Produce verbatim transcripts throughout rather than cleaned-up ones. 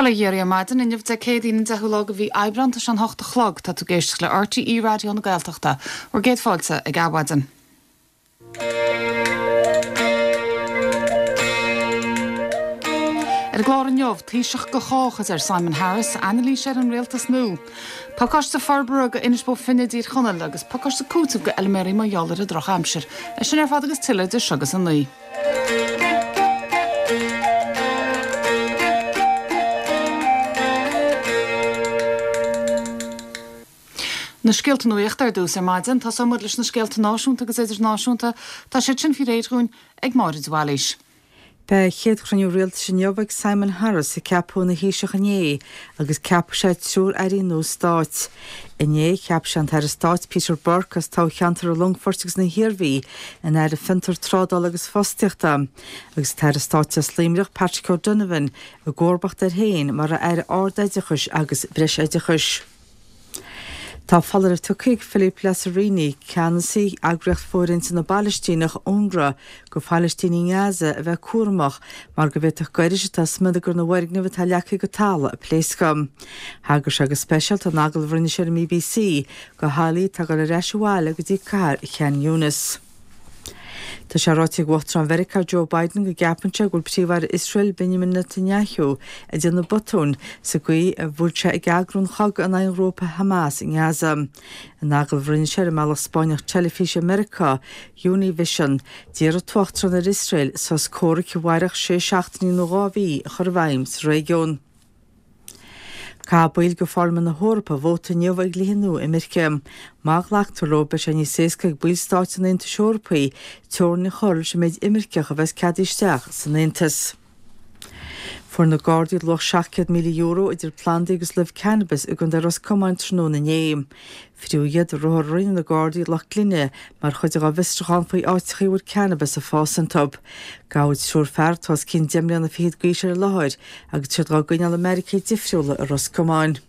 Bail ó Dhia oraibh ar maidin inniu Dé Céadaoin an deichiú lá de mhí Aibreán tá sé an hocht a chlog tá tú ag éisteacht le RTÉ Raidió na Gaeltachta bhur gcéad fáilte ag Adhmhaidin. Ar an gclár inniu, Taoiseach do chách a deir Simon Harris, anailís ar an rialtas nua. Pacáiste forbartha do Inis Bó Finne i dTír Chonaill agus pacáiste cúitimh do fheilméaraí mar gheall ar an drochaimsir. É sin ar fad agus tuilleadh idir seo agus a naoi. Na scéalta nuachta ar dtús ar maidin, tosóidh muid leis na scéalta náisiúnta agus idirnáisiúnta. Tá siad sin faoi réir dhúinn ag Máire de Bhailís. Beidh a chéad chruinniú rialtais inniu ag Simon Harris, a ceapadh ina Thaoiseach inné, agus ceapfaidh sé triúr airí nua stáit. Inné, cheap sé an tAire Stáit Peter Burke as toghcheantar an Longfoirt agus na hIarmhí ina Aire Fiontar, Trádála agus Fostaíochta, agus an tAire Stáit as Luimneach Patrick O'Donovan i gcomharbacht air féin mar Aire Ard-Oideachais agus Breisoideachais. Tá foláireamh tugtha ag Philippe Lazzarini, ceannasaí eagraíocht fóirithinte na bPalaistíneach, UNRWA, do Phalaistínigh i nGaza a bheith cúramach mar go bhféadfadh gairis atá i smionagar na bhfoirgneamh atá leagtha go talamh a pléascadh. Thagair sé go speisialta in agallamh a rinne sé ar an mBBC do theaghlaigh atá ag dul ar ais abhaile go dtí cathair Khan Younis. Tá sé ráite ag Uachtarán Mheiriceá Joe Biden go gceapann sé go bhfuil Príomh-Aire Iosrael Benjamin Netanyahu ag déanamh botúin sa gcaoi a bhfuil sé ag eagrú an chogaidh in aghaidh an ghrúpa Hamas i nGaza. In agallamh a rinne sé ar an mbealach Spáinneach teilifíse i Meiriceá, Univision, d'iarr an tUachtarán ar Iosrael sos comhraic a mhairfeadh sé seachtainí nó dhá mhí a chur i bhfeidhm sa réigiún. Caithfidh baill de Pharlaimint na hEorpa vóta inniu ar dhlíthe nua imirce. Má ghlactar leo, beidh sé níos éasca ag baill stáit an Aontais Eorpaigh teorainn a chur leis an méid imirceach a bheas ceadaithe isteach san Aontas. Fuair na Gardaí luach seacht gcéad míle euro idir plandaí agus luibh cannabis i gContae Ros Comáin tráthnóna inné. Fríodh iad i ruathar a rinne na Gardaí i Loch Glinne mar chuid dá bhfiosrúchán faoi áiteachaí a bhfuil cannabis ag fás iontu. Gabhadh triúr fear atá os cionn deich mbliana fichead d'aois ar an láthair agus iad á gcoinneáil i mbeairicí difriúla i Ros Comáin.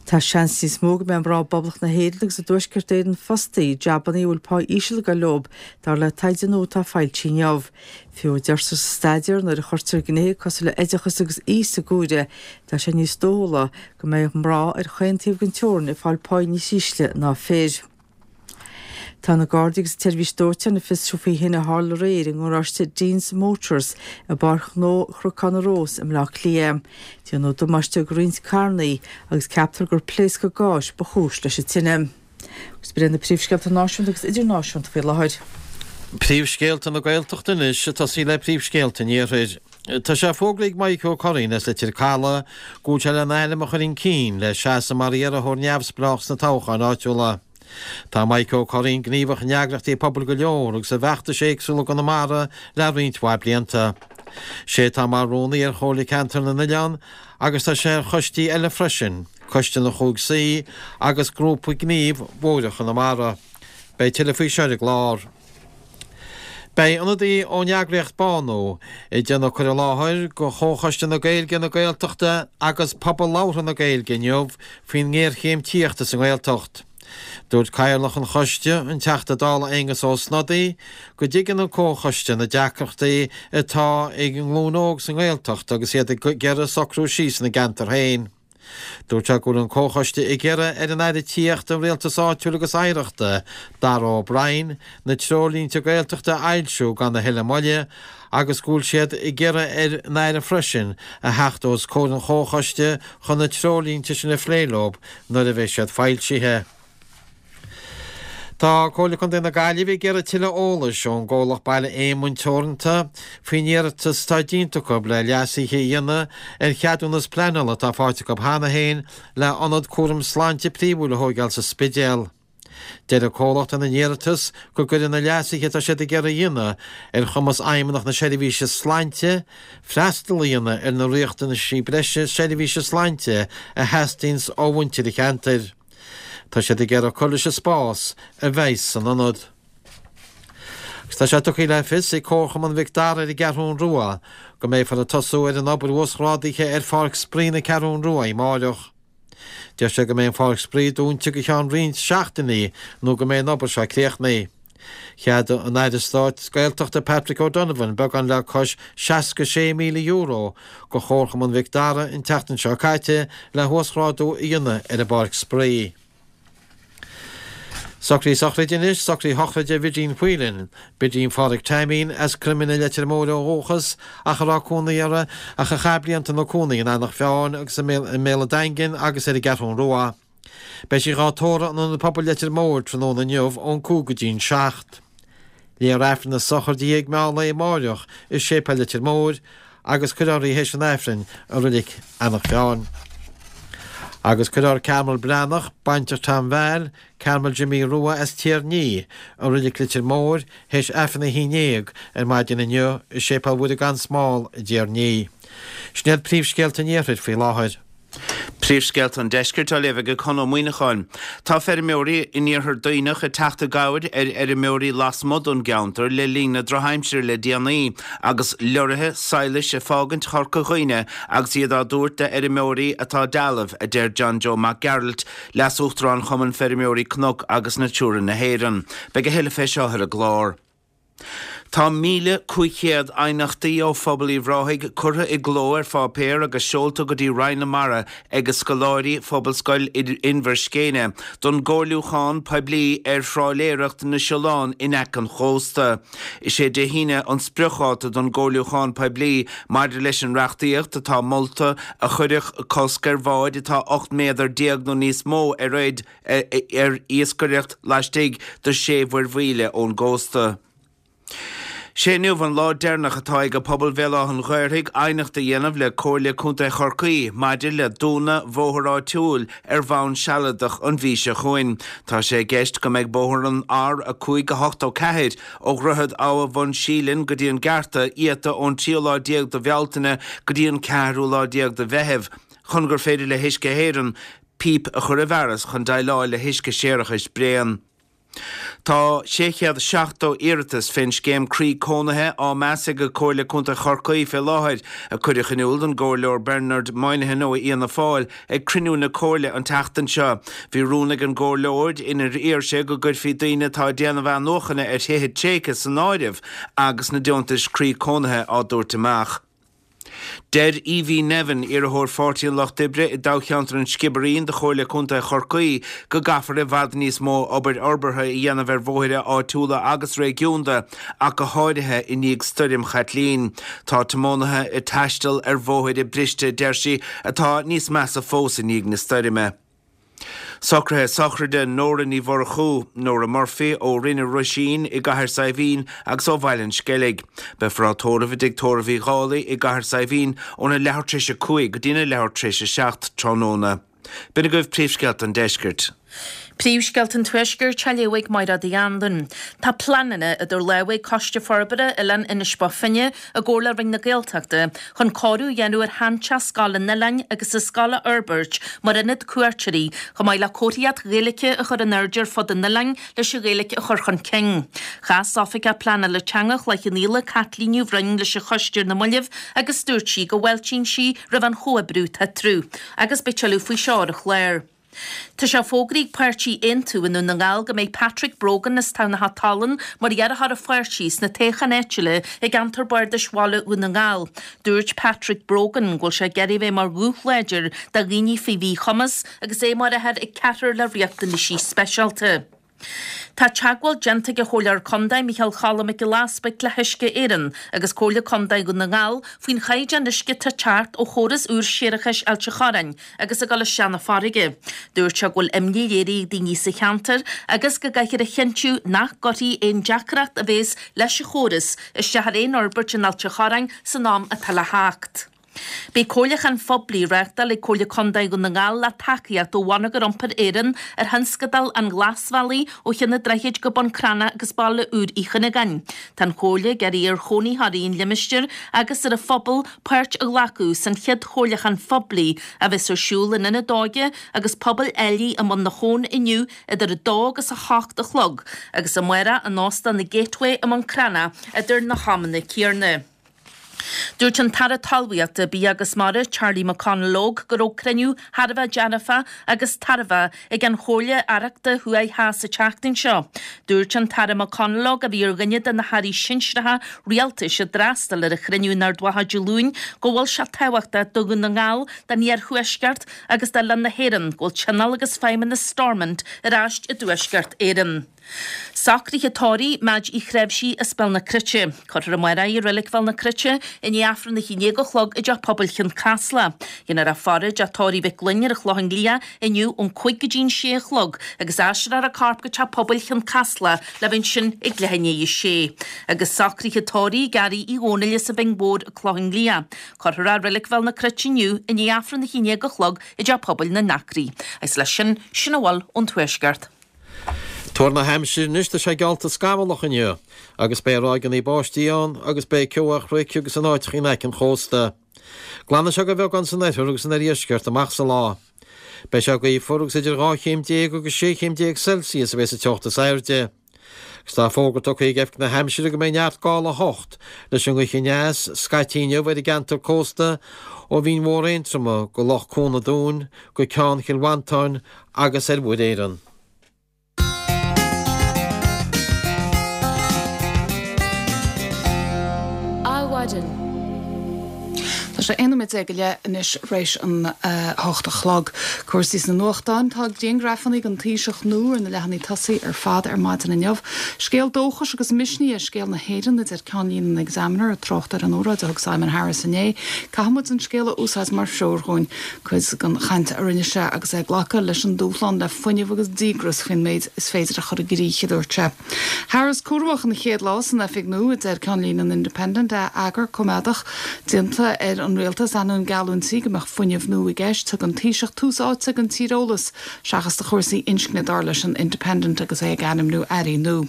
Tá seans níos mó go mbeidh mná i bPoblacht na hÉireann agus i dTuaisceart Éireann fostaithe i jabannaí a bhfuil pá íseal ag dul leo, dar le taighde nua atá foilsithe inniu. Fiú a deirtear sa staidéar, nuair a chuirtear gnéithe cosúil le oideachas agus aois sa gcomhaireamh, tá sé níos dóchúla go mbeidh mná ar chaon taobh den teorainn ag fáil pá níos ísle ná fir. Tá na Gardaí agus an tSeirbhís Dóiteáin ag fiosrú faoi thine a tharla aréir i ngaráiste Dean's Motors i bPáirc Ghnó Chnocán na Rós i mBleá Cliath. Déanadh damáiste do roinnt carrannaí agus ceaptar gur pléascadh gáis ba chúis leis an tine. Agus b'in iad na príomhscéalta náisiúnta agus idirnáisiúnta faoi láthair. Príomhscéalta na Gaeltachta anois, ag tosaí le príomhscéalta an Iarthair. Tá sé fógraithe ag Maidhc Ó Curraoin as Leitir Caladh go bhfuil sé lena ainm a chur chun cinn le seasamh mar iarrthóir neamhspleách sna toghcháin áitiúla. Tá Maidhc Ó Curraoin gníomhach in eagraíochtaí pobail go leor agus i bhfeachtais éagsúla i gConamara le roinnt mhaith blianta. Sé atá mar rúnaí ar Chomhairle Ceantar na nOileán agus tá sé ar choistí eile freisin, Coiste na Chúig Suí agus Grúpa Gnímh Bhóithre Chonamara. Beidh tuilleadh faoi seo ar an gclár. Beidh ionadaí ón eagraíocht Bánú ag déanamh cur i láthair go Chomhchoiste na Gaeilge, na Gaeltachta agus Pobal Labhartha na Gaeilge inniu faoin ngéarchéim tithíochta sa nGaeltacht. Dúirt Cathaoirleach an Choiste, an Teachta Dála Aengus Ó Snodaigh, go dtuigeann an Comhchoiste na deacrachtaí atá ag an nglúin óg sa nGaeltacht agus iad ag iarraidh socrú síos ina gceantar féin. Dúirt sé go bhfuil an Comhchoiste ag iarraidh ar an Aire Tithíochta, Rialtais Áitiúil agus Oidhreachta, Darragh O'Brien, na treoirlínte Gaeltachta a fhoilsiú gan a thuilleadh moille agus go bhfuil siad ag iarraidh ar an Aire freisin a theacht os comhair an Chomhchoiste chun na treoirlínte sin a phlé leo nuair a bheidh siad foilsithe. Tá Comhairle Contae na Gaillimhe ag iarraidh tuilleadh eolais ón gcomhlacht Baile Éamoinn Teoranta faoin iarratas atá déanta acu le leasuithe a dhéanamh ar cheadúnas pleanála atá faighte acu cheana féin le ionad cúram sláinte príomhúil a thóigeáil sa Spidéal. Deir an comhlacht ina n-iarratas go gcuirfidh na leasuithe atá siad ag iarraidh a dhéanamh ar chumas Fheidhmeannacht na Seirbhíse Sláinte freastal a dhéanamh ar na riachtanaisí breise seirbhíse sláinte a theastaíonns ó mhuintir an cheantair. Tá siad ag iarraidh cur leis an spás a bheidh san ionad. Agus tá sé tugtha le fios ag Comharchumann Mhic Dara ar an gCeathrún Rua go mbeifear ag tosú ar an obair uasghrádaithe ar Pháirc Spraoi na Ceathrún Rua amáireach. Deir sé go mbeidh an pháirc spraoi dúnta go ceann roinnt seachtainí nó go mbeidh an obair seo críochnaithe. Cheadaigh an Aire Stáit Gaeltachta Patrick O'Donovan beagán le cois seasca sé míle euro go Chomharchumann Mhic Dara an tseachtain seo caite le huasghrádú a dhéanamh ar an bpáirc spraoi. Socraí sochraide anois, socraí shochraide Bhidín Whelan, Bidín Phádraig Taimín as Croim na Leitir Móire ó dhúchas ach a raibh cónaí uirthi ach a chaith blianta ina cónaí in Eanach Mheáin agus i mBéal an Daingin agus ar an gCeathrún Rua. Beidh sí dhá tórramh in Ionad Pobail Leitir Móir tráthnóna inniu ón cúig go dtí'n seacht. Léifear Aifreann na sochraide ag meán lae amáireach i Séipéal Leitir Móir agus cuirfear í théis an Aifrinn i Reilig Eanach Mheáin. Agus cuirfear Carmel Breathnach, bainteach Tom Val, Carmel Jimmy Rua as Tír Ní, i Reilig Leitir Móir, théis Aifreann a haon déag ar maidin inniu i Séipéal Mhuire gan Smál i dTír Ní. Sin iad príomhscéalta an Iarthair faoi láthair. Príomhscéalta an Deiscirt á léamh ag Conn Ó Muíneacháin. Tá feirmeoirí in iarthar Duibhneach ag teacht i gcabhair ar fheirmeoirí lasmuigh den gceantar le linn na drochaimsire le déanaí agus leoraithe sadhlais ag fágaint Chorca Dhuibhne agus iad á dtabhairt d'fheirmeoirí atá dealbh, a deir John Joe Mac Gearailt, Leas-Uachtarán Chumann Feirmeoirí Cnoc agus Natura na hÉireann. Beidh a thuilleadh fé seo ar an gclár. Tá míle cúig chéad aighneachtaí ó phobal Uíbh Ráthaigh curtha i gcló ar pháipéar agus seolta go dtí Roinn na Mara ag scoláirí Phobalscoil Inbhir Scéine don gcomhairliúchán poiblí ar thrálaeireacht na siolán in aice an chósta. Is é Dé hAoine an spriocdháta don gcomhairliúchán poiblí maidir leis an reachtaíocht atá molta a chuirfeadh cosc ar bháid atá ocht méadar déag nó níos mó ar fhaid ar iascaireacht laistigh de sé mhuirmhíle ón gcósta. Sé inniu an lá deireanach atá ag pobal Bhéal Átha an Ghaorthaidh aighneacht a dhéanamh le Comhairle Contae Chorcaí maidir le dúnadh bhóthar áitiúil ar bhonn sealadach an mhí seo chugainn. Tá sé i gceist go mbeidh bóthar an R a cúig a hocht ó ceathair ó Dhroichead Abha Bhun Síleann go dtí an Gearta iata ón tríú lá déag de Bhealtaine go dtí an ceathrú lá déag de Mheitheamh chun gur féidir le hUisce Éireann píp a chur i bhfearas chun déileáil le huisce séarachais bréan. Tá sé chéad seachtó iarratas fén scéim Croí Cónaithe á meas ag Comhairle Contae Chorcaí fé láthair, a cuireadh in iúl don gcomhairleoir Bernard Moynihan ó Fhianna Fáil ag cruinniú na Comhairle an tseachtain seo. Bhí rún ag an gcomhairleoir inar iarr sé go gcuirfí daoine atá ag déanamh athnuachana ar thithe tréigthe san áireamh agus na deontais Croí Cónaithe á dtabhairt amach. Deir Evie Nevin, iarrthóir Pháirtí an Lucht Oibre i dtoghcheantar an Sciobairín do Chomhairle Contae Chorcaí, go gcaithfear i bhfad níos mó obair fhorbartha a dhéanamh ar bhóithre áitiúla agus réigiúnda, ach go háirithe i ndiaidh stoirm Chaitlín. Tá tiománaithe ag taisteal ar bhóithre briste, deir sí, atá níos measa fós i ndiaidh na stoirme. Socruithe sochraide Nóra Ní Mhurchú, Nóra Murphy ó Rinn an Ruisín i gCathair Saidhbhín agus ó Bhaile an Sceilg. Beifear á tórramh i dTigh Tórraimh Uí Dhálaigh i gCathair Saidhbhín óna leathuair tar éis a cúig go dtína leathuair tar éis a seacht tráthnóna. B'in agaibh príomhscéalta an deiscirt. Príomhscéalta an Tuaiscirt á léamh ag Mairéad Uí Anluain. Tá pleananna idir lámha ag Coiste Forbartha Oileán Inis Bó Finne i gcomhar le Roinn na Gaeltachta chun cóiriú a dhéanamh ar sheanteach scoile an oileáin agus an scoil a fhorbairt mar ionad cuairteoirí chomh maith le comharthaíocht Ghaeilge a chur in airde ar fud an oileáin leis an Ghaeilge a chur chun cinn. Chas Oifigeach Pleanála Teanga Chloich Cheann Fhaola, Caitlín Ní Bhroin leis an choiste ar na mallaibh agus dúirt sí go bhfáiltíonn sí roimh an chomhoibriú atá eatarthu agus beidh tuilleadh faoi seo ar an chlár. Tá sé fógraithe ag páirtí Aontú i nDún na nGall go mbeidh Patrick Brogan as Tamhnach Tallann mar iarrthóir an pháirtí sna toghcháin áitiúla i gceantar bardais Bhaile Dhún na nGall. Dúirt Patrick Brogan go bhfuil sé ag iarraidh a bheith mar ghuth láidir do dhaoine faoi mhíchumas agus é mar athair ag ceathrar le riachtanaisí speisialta. Tá teagmháil déanta ag an Chomhairleoir Contae Micheál Choilm Mac Giolla Easpaig le hUisce Éireann agus Comhairle Contae Dhún na nGall faoin chaighdeán uisce atá ag teacht ó chóras úr séarachais Ailt an Chorráin agus ag dul isteach na farraige. Dúirt sé go bhfuil imní léirithe ag daoine sa cheantar agus go gcaithfear a chinntiú nach gcuirfidh aon deacracht a bhéas leis an chóras isteach ar aon fhorbairt in Ailt an Chorráin san am atá le theacht. Beidh comhairliúchán phoiblí á reáchtáil ag Comhairle Contae Dhún na nGall le tacaíocht ó Bhonneagar Iompair Éireann ar thionscadal an Ghlasbhealaigh ó Cheann an Droichid go Bun Cranncha agus Baile Úr Uí Chuinneagáin. Tá an Chomhairle ag iarraidh ar chónaitheoirí an limistéir agus ar an phobal páirt a ghlacadh san chéad chomhairliúchán phoiblí a bheas ar siúl in Ionad Óige agus Pobail Ailigh i mBun na hAbhann inniu idir a dó agus a hocht a chlog agus amárach in Óstán na Gateway i mBun Cranncha idir na hamanna céanna. Dúirt an tAire Talmhaíochta, Bia agus Mara, Charlie McConalogue, go raibh cruinniú thar a bheith dearfach agus tairbheach ag an Chomhairle Aireachta Thuaidh Theas an tseachtain seo. Dúirt an tAire McConalogue, a bhí ar dhuine de na hairí sinsearacha rialtais a d'fhreastail ar an chruinniú in Ard Mhacha Dé Luain, go bhfuil sé tábhachtach do Dhún na nGall, don Iarthuaisceart agus d'oileán na hÉireann go bhfuil Tionól agus Feidhmeannas Stormont ar ais i dTuaisceart Éireann. Socruithe tórraimh Madge Uí Chreimhsí as Béal na Cruite. Cuirfear amárach í i Reilig Bhéal na Cruite i ndiaidh Aifreann a haon déag a chlog i dTeach Pobail Chionn Caslach. Déanfar a faire i dTeach Tórraimh Mhic Fhloinn ar an Chlochán Liath inniu ón cúig go dtí an sé a chlog agus aistreofar a corp go Teach Pobail Chionn Caslach le bheith ansin ag leath i ndiaidh a sé. Agus socruithe tórraimh Gary Uí Dhónaill as an Bhinn Mhór an Clochán Liath. Cuirfear é i Reilig Bhéal na Cruite inniu i ndiaidh Aifreann a haon déag a chlog i dTeach Pobail na nAcraí. Agus leis sin, sin a bhfuil ón Tuaisceart. Tuar na haimsire anois, tá sé geallta scamallach inniu agus beidh ráigeanna báistí ann agus beidh ceo ar chnoic agus in áiteacha in aice an chósta. Glanfaidh sé de bheagán san oirthear agus san oirdheisceart amach sa lá. Beidh sé gaofar agus idir dhá chéim déag agus sé chéim déag Celsius a bheidh sa teocht is airde. Agus tá fógra tugtha ag Oifig na hAimsire go mbeidh neart gála a hocht leis an ngaoth aneas scaití inniu ar an gceantar cósta ó Bhinn Mhór Aontroma go Loch Cuan an Dúin go Ceann Chill Mhantáin agus ar Mhuir Éireann. Adhmhaidin. Tá sé aon nóiméad déag go leith anois th'réis an hocht a chlog. Cúrsaí sna nuachtáin. Tá grianghrafanna den Taoiseach nua ar na leathanaigh tosaigh ar fad ar maidin inniu. Scéal dóchais agus misnigh é scéal na hÉireann, a deir ceannlíne an Examiner, ag trácht ar an óráid a thug Simon Harris inné. Caithfidh muid an scéal a úsáid mar threoir dhúinn. Cuid den chaint a rinne sé agus é ag glacadh leis an dúshlán le fuinneamh agus díograis faoin méid is féidir a chur i gcrích, a dúirt sé. Harris cúramach ina chéad lá san oifig nua, a deir ceannlíne an Independent, eagar coimeádach déanta ar an rialtas ainneoin geallúintí go mbeadh fuinneamh nua i gceist. Thug an Taoiseach tús áite don tíreolas seachas do chúrsaí inscne, dar leis an Independent agus é ag ainmniú airí nua.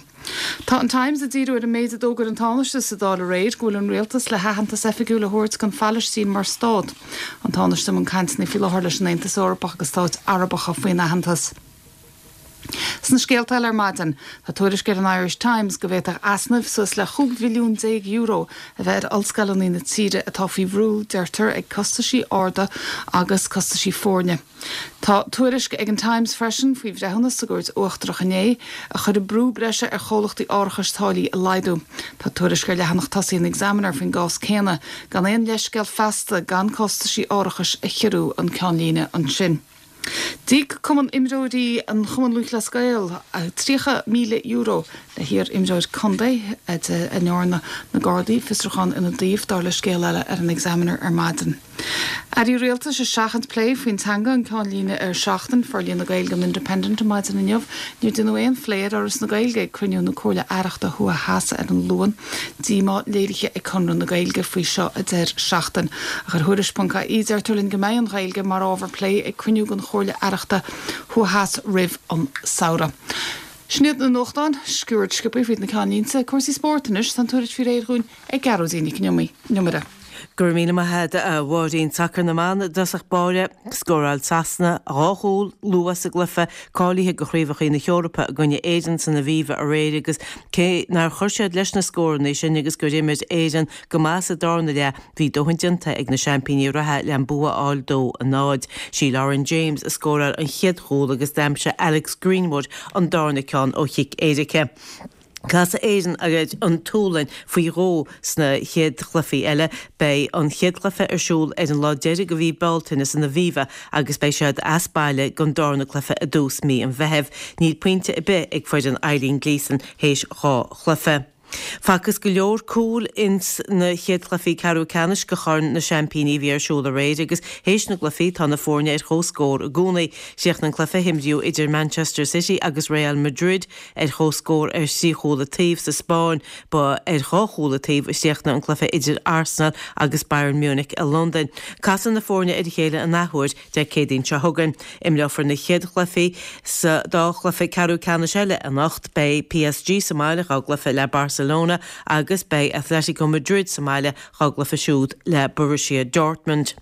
Tá an Times ag díriú ar an méid a d'fhógair an Tánaiste sa Dáil aréir go bhfuil an rialtas le haitheantas oifigiúil a thabhairt don Phalaistín mar stát. An Tánaiste i mbun cainteanna faoi láthair leis an Aontas Eorpach agus stáit Arabacha faoin aitheantas. Sna scéalta eile ar maidin, tá tuairisc ar an Irish Times go bhféadfadh easnaimh suas le chúig bhilliún déag euro a bheith ar ollscoileanna na tíre atá faoi bhrú, deirtear, ag costaisí arda agus costaisí foirne. Tá tuairisc ag an Times freisin faoi bhreithiúnas sa gCúirt Uachtarach inné a chuirfidh brú breise ar chomhlachtaí árachais táillí a laghdú. Tá tuairisc ar leathanach tosaigh an Examiner faoin gcás céanna, gan aon leithscéal feasta gan costaisí árachais a chiorrú an ceannlíne ansin. D'íoc Cumann Imreoirí an Chumainn Lúthchleas Gael tríocha míle euro le hiar-imreoir contae a ndearna na Gardaí fiosrúchán ina dtaobh, dar le scéal eile ar an Examiner ar maidin. Airí Rialtais ag seachaint plé faoin teanga an ceannlíne ar Seachtain, Forlíonadh na Gaeilge an Independent ar maidin inniu. Níor deineadh aon phlé ar Fhoras na Gaeilge ag cruinniú na Comhairle Aireachta Thuaidh Theas ar an Luan. Díomá léirithe ag Conradh na Gaeilge faoi seo, a deir Seachtain. Ach ar Thuairisc ponc ie deirtear linn go mbeidh an Ghaeilge mar ábhar plé ag cruinniú den Chomhairle Aireachta Thuaidh Theas roimh an samhradh. Sin iad na nuachtáin, sciuird sciobtha fríd na ceannlínte. Cúrsaí spóirt anois, tá an tuairisc faoi réir dhúinn ag Gearóidín Nic an Iomaire. Go raibh míle maith agat a Mháirín. Sacar na mban i dtosach báire, Scóráil Sasana dhá chúl luath sa gcluiche cáilithe do Chraobhacha na hEorpa i gcoinne Éireann san Aviva aréir agus cé nár chuir siad leis na scóranna sin agus gur imir Éirinn go maith sa darna leath, bhí dóthain déanta ag na seaimpíní reatha le an bua a fháil dó a náid. Sí Lauren James a scóráil an chéad chúl agus d'aimsigh Alex Greenwood an darna ceann ó chic éirice. Casfaidh Éirinn ar an tSualainn faoi dhó sna chéad chluichí eile. Beidh an chéad chluiche ar siúl ar an lá deiridh de mhí Bealtaine san Aviva agus beidh siad as baile don darna cluiche i dtús mí an Mheithimh. Níl pointe ar bith ag foireann Eileen Gleeson théis dhá chluiche. Facthas go leor cúl ins na chéad chluichí ceathrú ceannais de Chorn na Seaimpíní a bhí ar siúl aréir agus théis na gcluichí tá na foirne ar comhscór i gcónaí. Chríochnaigh an cluiche a himríodh idir Manchester City agus Real Madrid ar chomhscór ar thrí chúl an taobh sa Spáinn. Ba ar dhá chúl an taobh a chríochnaigh an cluiche idir Arsenal agus Bayern Munich i Londain. Casfaidh na foirne ar a chéile an athuair Dé Céadaoin seo chugainn. Imreofar na chéad chluichí sa dá chluiche ceathrú ceannais eile anocht. Beidh PSG sa mbaile dhá gcluiche le Barcelona agus beidh Atletico Madrid sa mbaile dhá gcluiche siúd le Borussia Dortmund.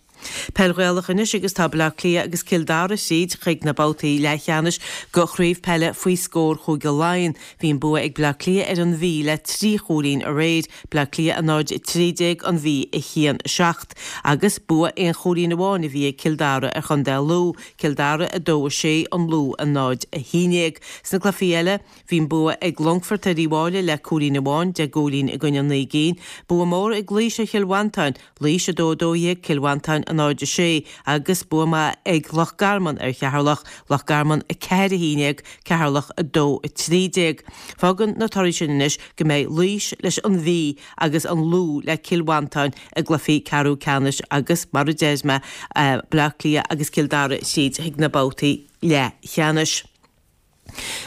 Peil Ghaelach anois agus tá Baile Átha Cliath agus Cill Dara tríd chuig na babhtaí leathcheannais go Chraobh Peile faoi scór Chúige Laighean. Bhí an bua ag Baile Átha Cliath ar an Mhí le trí chúilín aréir, Baile Átha Cliath a náid a trí déag, an Mhí a haon a seacht, agus bua aon chúilín amháin a bhí ag Cill Dara ar Chontae Lú, Cill Dara a dó a sé, an Lú a náid a haon déag. Sna cluichí eile, bhí an bua ag Longfort ar Uíbh Fhailí le cúilín amháin, deich gcúilín i gcoinne naoi gcinn. Bua mór ag Laois ar Chill Mhantáin, Laois a dó a dó dhéag, Cill Mhantáin a náid a sé, agus bua maith ag Loch Garman ar Cheatharlach, Loch Garman a ceathair a haon déag, Ceatharlach a dó a trí déag. Fágann na torthaí sin anois go mbeidh Laois leis an Mhí agus an Lú le Cill Mhantáin i gcluichí ceathrú ceannais agus, mar a deir mé, Baile Átha Cliath agus Cill Dara tríd chuig na babhtaí leathcheannais.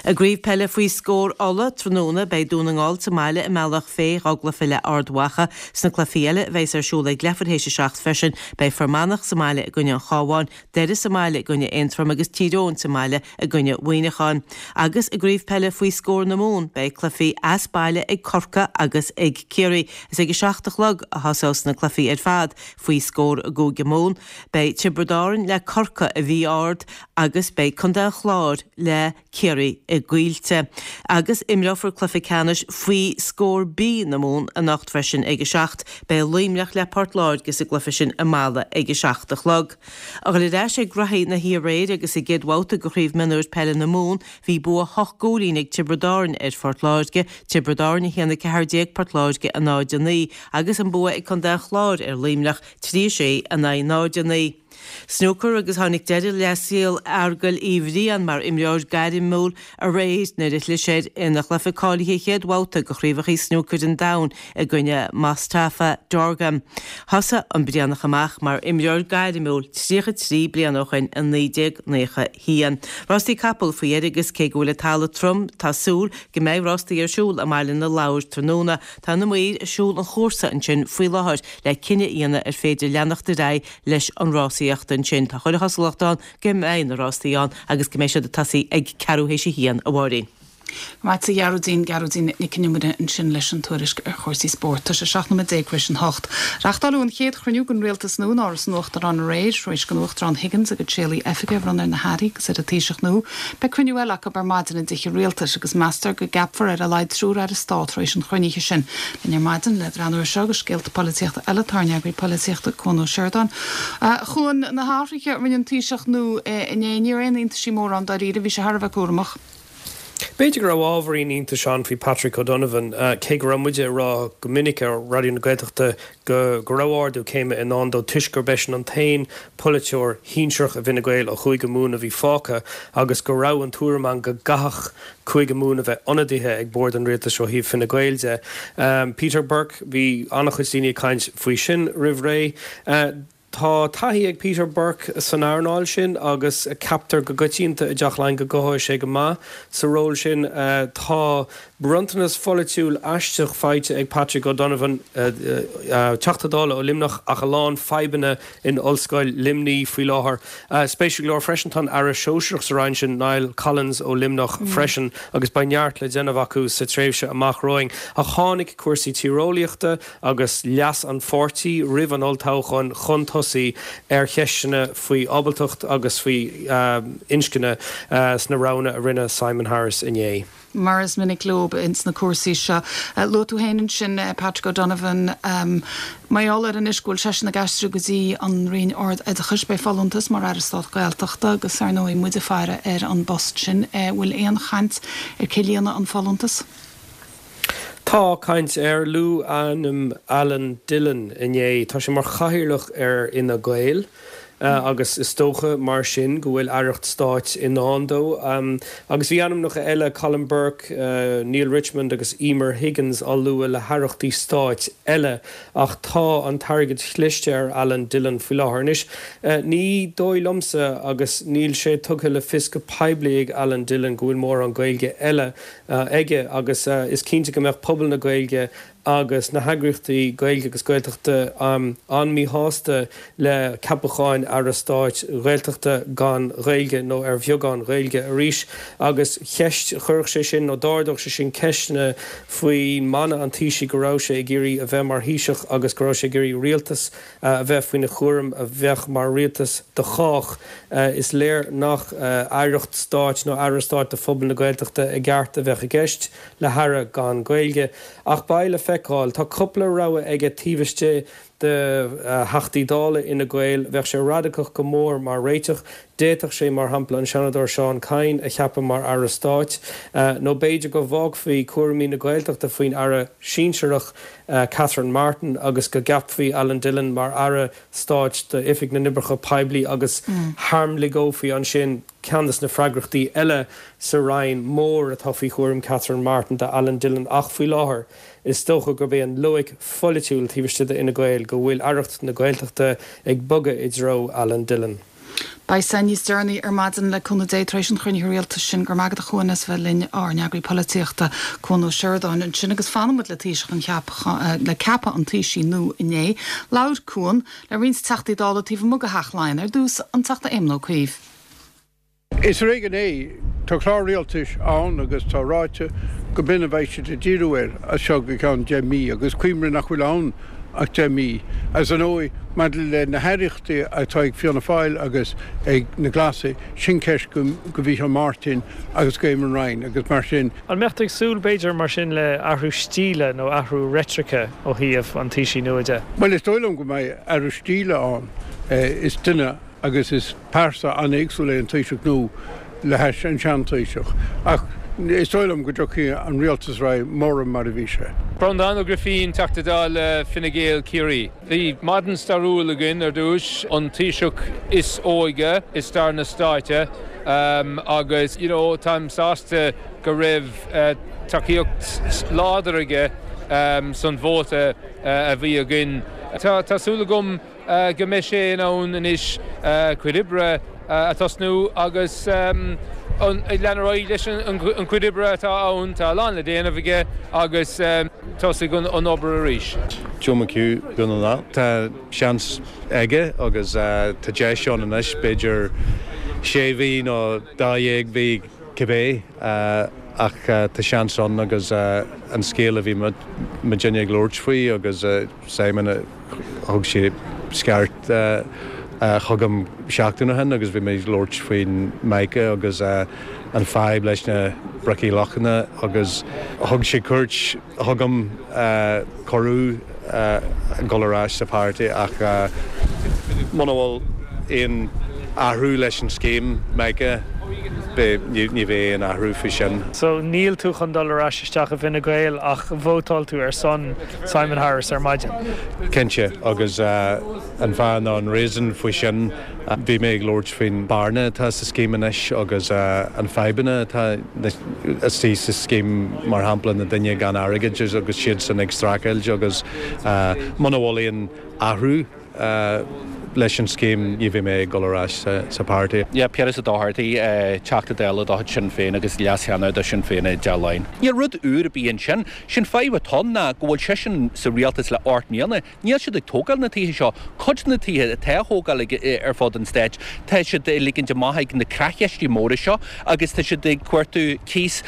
I gCraobh Peile faoi scór Uladh tráthnóna beidh Dún na nGall sa mbaile i mBealach Féich dhá gcluiche le Ard Mhacha. Sna cluichí eile a bheas ar siúl ag leathuair théis a seacht freisin beidh Fear Manach sa mbaile i gcoinne an Chabháin, Doire sa mbaile i gcoinne Aontroim agus Tír Eoghain sa mbaile i gcoinne Mhuineacháin. Agus i gCraobh Peile faoi scór na Mumhan beidh cluichí as baile ag Corcaigh agus ag Ciarraí. Is ag a seacht a chlog a thosós na cluichí ar fad faoi scór i gCúige Mumhan. Beidh Tiobraid Árann le Corcaigh i bhFiodh Ard agus beidh Contae an Chláir le Ciarraí i gCoillte. Agus imreofar cluiche ceannais faoi scór B na Mumhan anocht freisin ag a seacht. Beidh Luimneach le Port Láirge sa gcluiche sin i Mala ag a seacht a chlog. A dhul ar ais ag graithí na haréir agus sa gcéad bhabhta de Chraobh Mionúir Peile na Mumhan bhí bua hocht gcúilín ag Tiobraid Árann ar Phort Láirge, Tiobraid Árann a haon a ceathair déag, Port Láirge a náid a naoi, agus an bua ag Contae an Chláir ar Luimneach, trí a sé in aghaidh náid a naoi. Snúcar agus tháinig deireadh le saol Fheargail Uí Bhriain mar imreoir gairmiúil aréir nuair a chlis air ina chluiche cáilithe chéad bhabhta de Chraobhacha Snúcair an Domhain i gcoinne Mostafa Dorgham. Thosaigh an Brianach amach mar imreoir gairmiúil tríocha trí bliana ó shin i naoi déag naocha haon. Rástaí capall faoi dheireadh agus cé go bhfuil an talamh trom tá súil go mbeidh rástaí ar siúl i mBaile na Lobhar tráthnóna. Tá na maoir ag siúl an chúrsa ansin faoi láthair le cinneadh a dhéanamh ar féidir leanacht ar aghaidh leis an rásaíocht ansin. Tá chuile chosúlacht ann go mbeidh na rástaí ann agus go mbeidh siad ag tosaí ag ceathrú théis a haon, a Mháirín. Maith a Ghearóidín, Gearóidín Nic Con Iomaire ansin leis an tuairisc ar chúrsaí spóirt. Tá sé seacht nóiméad déag tar éis an hocht. Reáchtáladh an chéad chruinniú den rialtas nua in Áras an Uachtaráin aréir, tar éis don Uachtarán Higgins a gcuid séalaí oifige a bhronnadh ar na hairí agus ar an Taoiseach nua. Beidh cruinniú eile acu ar maidin i dTithe Rialtais agus meastar go gceapfar ar a laghad triúr aire stáit tar éis an chruinnithe sin. Linn ar maidin le breathnú air seo agus scéalta polaitíochta eile tá ár n-eagraí polaitíochta Cuan Ó Seireadáin. A Chuain, na hathruithe a rinne an Taoiseach nua inné, ní raibh aon iontaisí móra ann dáiríre, bhí sé thar a bheith cúramach. B'fhéidir go raibh ábhairín iontais ann faoi Patrick O'Donovan, cé go raibh muide ag rá go minic ar Raidió na Gaeltachta go go raibh ardú céime i ndán dó toisc gurb eisean an t-aon pholaiteoir shinsearach i bhFine Gael ó Chúige Mumhan a bhí fágtha agus go raibh an tuairim ann go gcaithfeadh Cúige Mumhan a bheith ionadaithe ag bord an rialtais ó thaobh Fine Gael de. Peter Burke, bhí an-chuid daoine ag caint faoi sin roimh ré. Tá taithí ag Peter Burke san earnáil sin agus ceaptar go coitianta i dTeach Laighean go gcothóidh sé go maith sa ról sin. Tá bronntanas pholaitiúil aisteach faighte ag Patrick O'Donovan, Teachta Dála ó Luimneach, ach a lán fadhbanna in Ollscoil Luimnigh faoi láthair. Spéisiúil go leor freisin tá an Aire Sóisearach sa Roinn sin, Niall Collins ó Luimneach freisin agus beidh neart le déanamh acu sa tréimhse amach romhainn. Ach tháinig cúrsaí tíreolaíochta agus leas an pháirtí roimh an olltoghchán chun tosaigh ar cheisteanna faoi ábaltacht agus faoi inscne sna roghanna a rinne Simon Harris inné. Mar is minic leo ins na cúrsaí seo. Luaigh tú féin ansin Patrick O'Donovan, mar gheall air anois go bhfuil seisean ag aistriú go dtí an Roinn Ard-Oideachais, beidh folúntas mar Aire Stáit Gaeltachta agus ar ndóigh muid ag faire ar an bpost sin. Bhfuil aon chaint ar cé líonfaidh an folúntas? Tá caint air. Luadh ainm Alan Dillon inné. Tá sé mar chathaoirleach ar Fhine Gael agus is dócha mar sin go bhfuil aireacht stáit i ndán dó. Agus bhí ainmneacha eile, Colm Burke, Neale Richmond agus Emer Higgins á lua le haireachtaí stáit eile ach tá an targaid chliste ar Alan Dillon faoi láthair. Anois, ní dóigh liomsa agus níl sé tugtha le fios go poiblí ag Alan Dillon go bhfuil mórán Gaeilge eile aige agus is cinnte go mbeadh pobal na Gaeilge agus na heagraíochtaí Gaeilge agus Gaeltachta an-mhíshásta le ceapacháin Aire Stáit Ghaeltachta gan Ghaeilge nó ar bheagán Gaeilge arís agus cheist chuirfeadh sé sin nó d'ardódh sé sin ceisteanna faoi mana an Taoisigh go raibh sé ag iarraidh a bheith mar Thaoiseach agus go raibh sé ag iarraidh rialtas a bheith faoina chúram a bheadh mar rialtas do chách. Is léir nach aireacht stáit nó aire stáit do phobal na Gaeltachta i gceart a bheadh i gceist le haire gan Gaeilge. Ach beidh le feiceáil. Tá cúpla rogha aige taobh istigh de Theachtaí Dála Fhine Gael. Bheadh sé radacach go mór mar réiteach. D'fhéadfadh sé, mar shampla, an Seanadóir Seán Kyne a cheapadh mar Aire Stáit. Nó b'fhéidir go bhfágfaí cúraimí na Gaeltachta faoin Aire sinsearach Catherine Martin agus go gceapfaí Alan Dillon mar Aire Stáit d'Oifig na nOibreacha Poiblí agus tharmligeofaí ansin ceann de na freagrachtaí eile sa Roinn mór atá faoi chúram Catherine Martin d'Alan Dillon ach faoi láthair is dócha gurb é an loighic pholaitiúil taobh istigh d'Fhine Gael go bhfuil aireacht na Gaeltachta ag bogadh i dtreo Alan Dillon. Beidh sé níos deireanaí ar maidin le cúnamh Dé tar éis an chruinnithe rialtais sin. Go raibh maith agat a Chuain as bheith linn, ár n-eagraí polaitíochta, Cuan Ó Seireadáin ansin agus fanann muid le Taoiseach an cheap le ceapadh an Taoisigh nua inné. Labhair Cuan le roinnt Teachtaí Dála taobh amuigh de Theach Laighean ar dtús, an Teachta Éamon Ó Cuív. Is ar éigean é. Tá clár rialtais ann agus tá ráite go b'in a bheidh siad ag díriú air as seo go ceann deich mí agus cuimhnigh nach bhfuil ann ach deich mí. Agus ar ndóigh, maidir le na haireachtaí atá ag Fianna Fáil agus ag na Glasaigh, sin ceist go Mhícheál Martin agus go Eamon Ryan agus mar sin. An mbeadh tú ag súil, b'fhéidir, mar sin le athrú stíle nó athrú reitrice ó thaobh an Taoisigh nua de? Bhuel, is dóigh liom go mbeidh athrú stíle ann. Is duine. agus is pearsa an-éagsúil é an Taoiseach nua le hais an sean-Taoiseach. Ach is dóigh liom go dtiocfaidh an rialtas ar aghaidh mórán mar a bhí sé. Breandán Ó Grifín, Teachta Dála Fine Gael, Ciarraí. Bhí maidin stairiúil againn ar dtús, an Taoiseach is óige i stair na stáite agus you know táim sásta go raibh tacaíocht láidir aige san vóta a bhí againn. Tá súil agam go mbeidh sé in ann anois cuid oibre a thosnú agus lean ar aghaidh leis an chuid oibre atá ann. Tá a lán le déanamh aige agus tosaigh an obair arís. Joe McHugh, Dún na nGall. Tá seans aige agus tá deis ann anois, b'fhéidir sé mhí nó dá dhéag mhí cibé, ach tá seans ann agus an scéal a bhí muidinne ag labhairt faoi agus Simon, Thug sé scairt chugam seachtain ó shin agus bhí mé ag labhairt faoin Mica agus an fadhb leis na bricí lochanna agus thug sé cuairt chugam, cuireadh dul ar ais sa pháirtí ach muna bhfuil aon athrú leis an scéim Mica ní bheidh aon athrú faoi sin. So níl tú chun dul ar ais isteach i bhFine Gael ach vótáil tú ar son Simon Harris ar maidin? Cinnte, agus an fáth nó an reason faoi sin, bhí mé ag labhairt faoin bearna atá sa scéim anois agus an fadhbanna atá istigh sa scéim, mar shampla na daoine gan airgead agus siadsan ag streachailt agus muna bhfuil aon athrú leis an scéim ní bheidh mé ag dul ar ais sa pháirtí. Yeah, Piaras Ó Dochartaigh, Teachta Dála de chuid Sinn Féin agus Leas-Cheannaire do Sinn Féin i dTeach Laighean. Níl rud úr ar bith ansin. Sé'n fadhb atá ann ná go bhfuil seisean sa rialtas le ocht mbliana. Níl siad ag tógáil na tithe seo. Cuid de na tithe atá á thógáil ag ar fud an stáit, tá siad ag ligint amach ag na creachcheistí móra seo agus tá siad ag cuartú cíos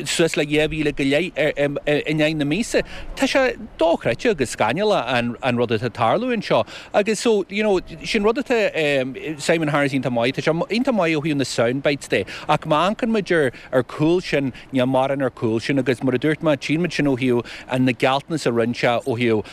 suas le dhá mhíle go leith in aghaidh na míosa. Tá sé dochreidte agus scannalach an rud atá ag tarlú anseo agus so, you know, sin rud atá Simon Harris iontach maith, tá sé iontach maith ó thaobh na sound bites de ach má amharcann muid ar ar cúl sin, níl mórán ar cúl sin agus mar a dúirt mé, tchíonn muid sin ó thaobh na gealltanas a rinne sé ó thaobh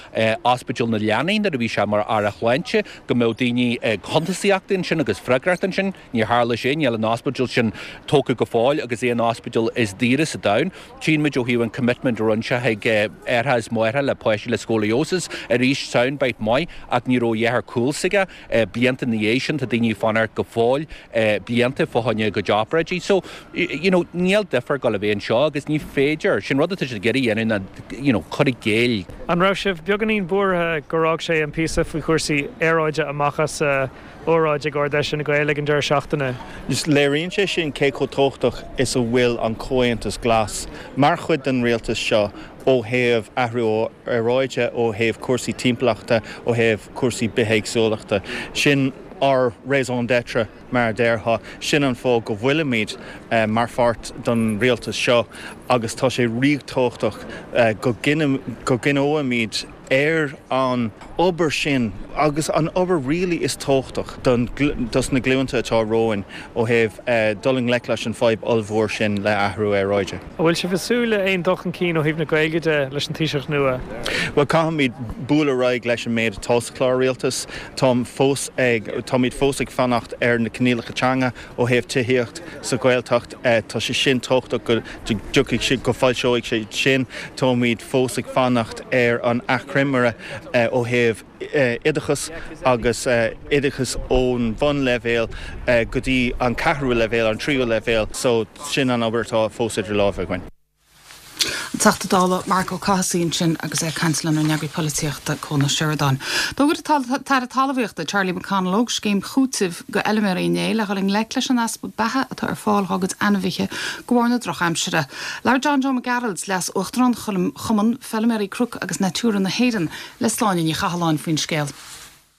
Ospidéal na Leanaí nuair a bhí sé mar Aire Shláinte go mbeadh daoine cuntasaíochta ansin agus freagracht ansin, níor tharla sé, níl an ospidéal sin tógtha go fóill agus é an ospidéal is daoire sa domhan. Tchíonn muid ó thaobh an commitment a rinne sé chuig aithreacha is máithreacha le páistí le scoliosis, arís sound bite maith ach ní raibh a dhath ar cúl s'aige. Blianta ina dhiaidh sin tá daoine ag fanacht go fóill blianta fá choinne a gcuid obráidí. So, you know, níl difear ag dul a bheith anseo agus ní féidir, sin rud atá siad ag iarraidh a dhéanamh ná, you know, cur i gcéill. An raibh sibh beagáinín buartha gur fhág sé an píosa faoi chúrsaí aeráide amach as a óráid ag Ard-Fheis Fhine Gael ag an deireadh seachtaine. Just léiríonn sé sin cé chomh tábhachtach is a bhfuil an Comhaontas Glas mar chuid den rialtas seo ó thaobh athrú aeráide, ó thaobh cúrsaí timpeallachta, ó thaobh cúrsaí bithéagsúlachta. Sin ár raison d'être mar a déarfá, sin an fáth go bhfuilimid mar pháirt den rialtas seo agus tá sé ríthábhachtach go gcoinneoimid ar an obair sin agus an obair really is tábhachtach don dos na glúnta atá romhainn ó thaobh dul i ngleic leis an fadhb ollmhór sin le athrú aeráide. An bhfuil sibh ag súil le aon dul chun cinn ó thaobh na Gaeilge de leis an Taoiseach nua? Bhuel caithfimid bualadh ar aghaidh leis an méid atá sa chlár rialtais. Táim fós ag, táimid fós ag fanacht ar na coinníollacha teanga ó thaobh tithíocht sa Ghaeltacht. Tá sé sin tábhachtach go dtiocfaidh sé, go foilseoidh sé sin. Táimid fós ag fanacht ar an achoimre ó thaobh oideachas agus oideachas ón bhunleibhéal go dtí an ceathrú leibhéal, an tríú leibhéal. So sin an obair atá fós idir lámha againn. An Teachta Dála Marc Ó Cathasaigh ansin agus é ag caint lenár n-eagraí polaitíochta Cuan Ó Seireadáin. D'fhógair an tAire Talmhaíochta Charlie McConalogue scéim chúitimh do fheilméaraí inné le dhul i ngleic leis an easpa beatha atá ar fáil dá gcuid ainmhithe de bharr na drochaimsire. Labhair John Joe Mac Gearailt, Leas-Uachtarán Chumann Feilméaraí Cnoc agus Natura na hÉireann le Sláine Ní Chathalláin faoin scéal.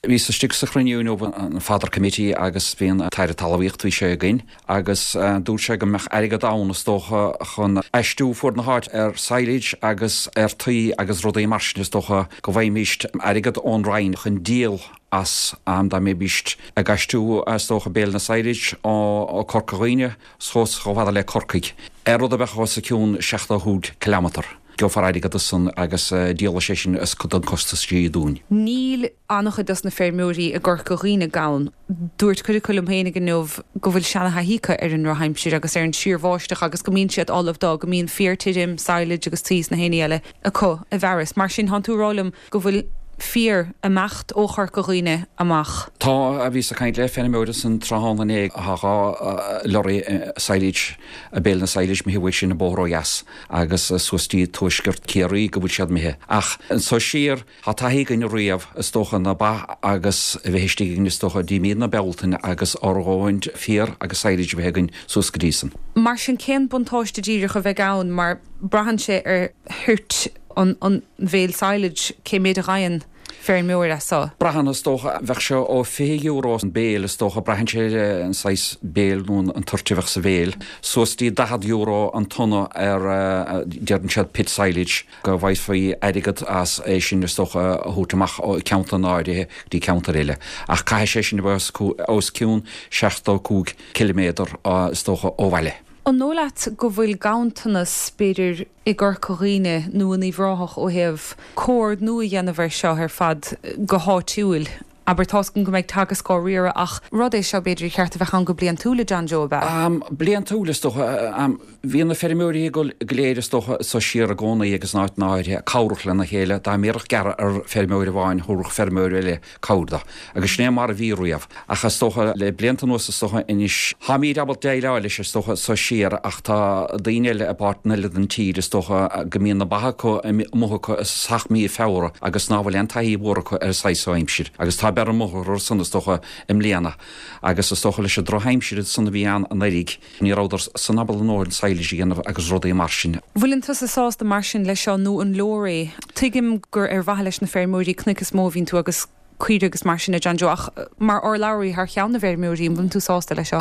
Bhíos istigh sa chruinniú inniu an Fodder Committee agus bhí an tAire Talmhaíochta bhí sé againn agus dúirt sé go mbeadh airgead ann is dócha chun aistriú fuaid na háite ar silage agus ar tuí agus rudaí mar sin is dócha go bhfaighimíst airgead ón Roinn chun díol as am dá mbeimíst ag aistriú is dócha béil na silage ó Corca Dhuibhne suas chomh fada le Corcaigh ar rud a bheadh os a cionn seachtó cúig ciliméadar. Gheofar airgead as san agus díolfaidh sé sin as cuid den costas sí dúinn. Níl an-chuid dos na feirmeoirí i gCorca Dhuibhne gann. Dúirt cuid acu liom féinig inniu go bhfuil seana-thaithí acu ar an ndrochaimsir agus ar an síorbháisteach agus go mbíonn siad ullamh dó, go mbíonn féar tirim, silage agus tuí is na héinní eile acu i bhfearas. Mar sin, thánn tú ag rá liom go bhfuil féar ag imeacht ó Chorca Dhuibhne amach. Tá, bhíos ag caint le feirmeoir ansan tráthnóna inné, tá dhá lorry silage, béil na silage imithe uaidh sin an bóthar ó dheas agus suas dtí tuaisceart Ciarraí go bhfuil siad imithe. Ach anso siar, tá taithí againn riamh is dócha na ba agus a bheith istigh againn is dócha dtí mí na Bealtaine agus ár ndóthain féar agus silage a bheith againn suas go dtí san. Mar sin cén buntáiste díreach a bheidh ann mar braitheann sé ar thoirt an an bhéil silage cé méid a fhaigheann feirmeoir as seo? Braitheann is dócha, bheadh sé ó fiche euro an béil is dócha, braitheann sé ar an saghas béil nó an toirt a bheadh sa bhéil, suas dtí daichead euro an tonna ar deireann siad pit silage, go bhfaighfí airgead as é sin is dócha a thabhairt amach ó cheantar áirithe go dtí ceantar eile. Ach caithfidh sé sin a bheith os cionn seachtó cúig ciliméadar is dócha ó bhaile. An dóigh leat go bhfuil ganntanas, b'fhéidir, i gCorca Dhuibhne nó in Uíbh Ráthach ó thaobh comhordnú a dhéanamh air seo ar fad go háitiúil? Abair, tá's agam go mbeidh Teagasc á riaradh ach rud é seo, b'fhéidir, ar cheart a bheith ann go bliantúil, a John Joe, ab ea? Bliantúil, is dócha. Bhí na feirmeoirí go léir, is dócha, so siar i gcónaí agus in áiteanna áirithe, cabhrach lena chéile. Dá mbéarfadh gearradh ar feirmeoir amháin, thabharfadh feirmeoir eile cabhair dó. Agus sin é mar a bhí riamh. Ach is dócha, le blianta anuas is dócha anois, táimíd ábalta déileáil leis is dócha so siar ach tá daoine eile i bpáirteanna eile den tír is dócha go mbíonn na ba acu amuigh acu i dtosach mí Feabhra agus ná fuil aon taithí mhór acu ar an saghas so aimsir. Agus tá bearradh amuigh orthu san is dócha i mbliana. Agus is dócha leis an drochaimsir san a bhí ann anuraidh, ní rabhadar san ábalta a ndóthain silage a dhéanamh agus rudaí mar sin. Bhfuileann tusa sásta mar sin leis seo nó an leor é? Tuigim gur ar mhaithe leis na feirmeoirí cnoic is mó a bhíonn tú agus caoirigh agus mar sin a John Joe ach mar urlabhraí thar cheann na bhfeirmeoirí an bhfuileann tú sásta leis seo?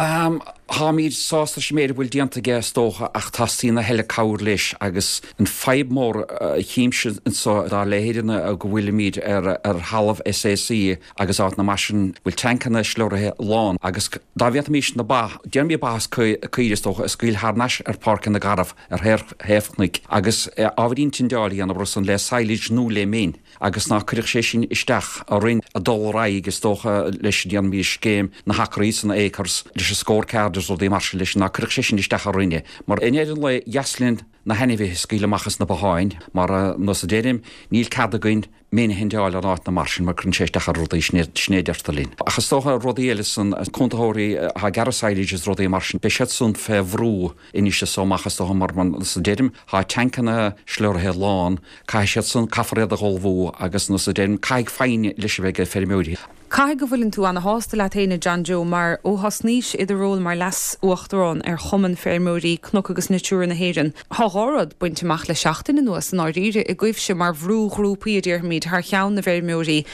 Táimid sásta leis an méid a bhfuil déanta aige is dócha ach teastaíonn a thuilleadh cabhair leis agus an fadhb mór a chímse anseo dá leithéid ná go bhfuilimid ar ar thalamh SAC agus áiteanna mar sin bhfuil tancanna slurraithe lán agus dá bhféadfaimis na ba, déarfaimid ba is caoirigh is dócha, a scaoileadh thar n-ais ar páirceanna garbh ar thaobh chnoic agus ábhairín tindeáil a dhéanamh orthu san le silage nó le min agus ná cuirfeadh sé sin isteach orainn ag dul ar aghaidh is dócha leis déarfaimid scéim na hacraí san acres leis an scorecard is rudaí mar sin leis ná cuirfeadh sé sin isteach orainne mar i ndeireadh an lae dheas linn na hainmhithe a scaoileadh amach as na botháin mar nós a deirim níl cead againn min a thindeáil in áiteanna mar sin mar cuireann sé isteach ar rudaí sin a deirtear linn. Ach is dócha rudaí eile san cúntaitheoirí atá ag gearradh silage is rudaí mar sin beidh siad san fé bhrú anois is so amach is dócha mar nós a deirim tá tancanna slurraithe lán caithfidh siad san caithfear iad a dh'ullmhú agus nós a deirim caithfidh foighne leis a bheith ag feirmeoirí. Caithfidh go bhfuileann tú ana-shásta leat féin, a John Joe, mar ó thosnaís i do ról mar Leas-Uachtarán ar Chumann Feirmeoirí Cnoc agus Natura na hÉireann, thá dhá rud bainte amach le seachtain anuas i ndáiríre, agaibhse mar bhrúghrúpaí, a déarfaimid, thar cheann na bhfeirmeoirí.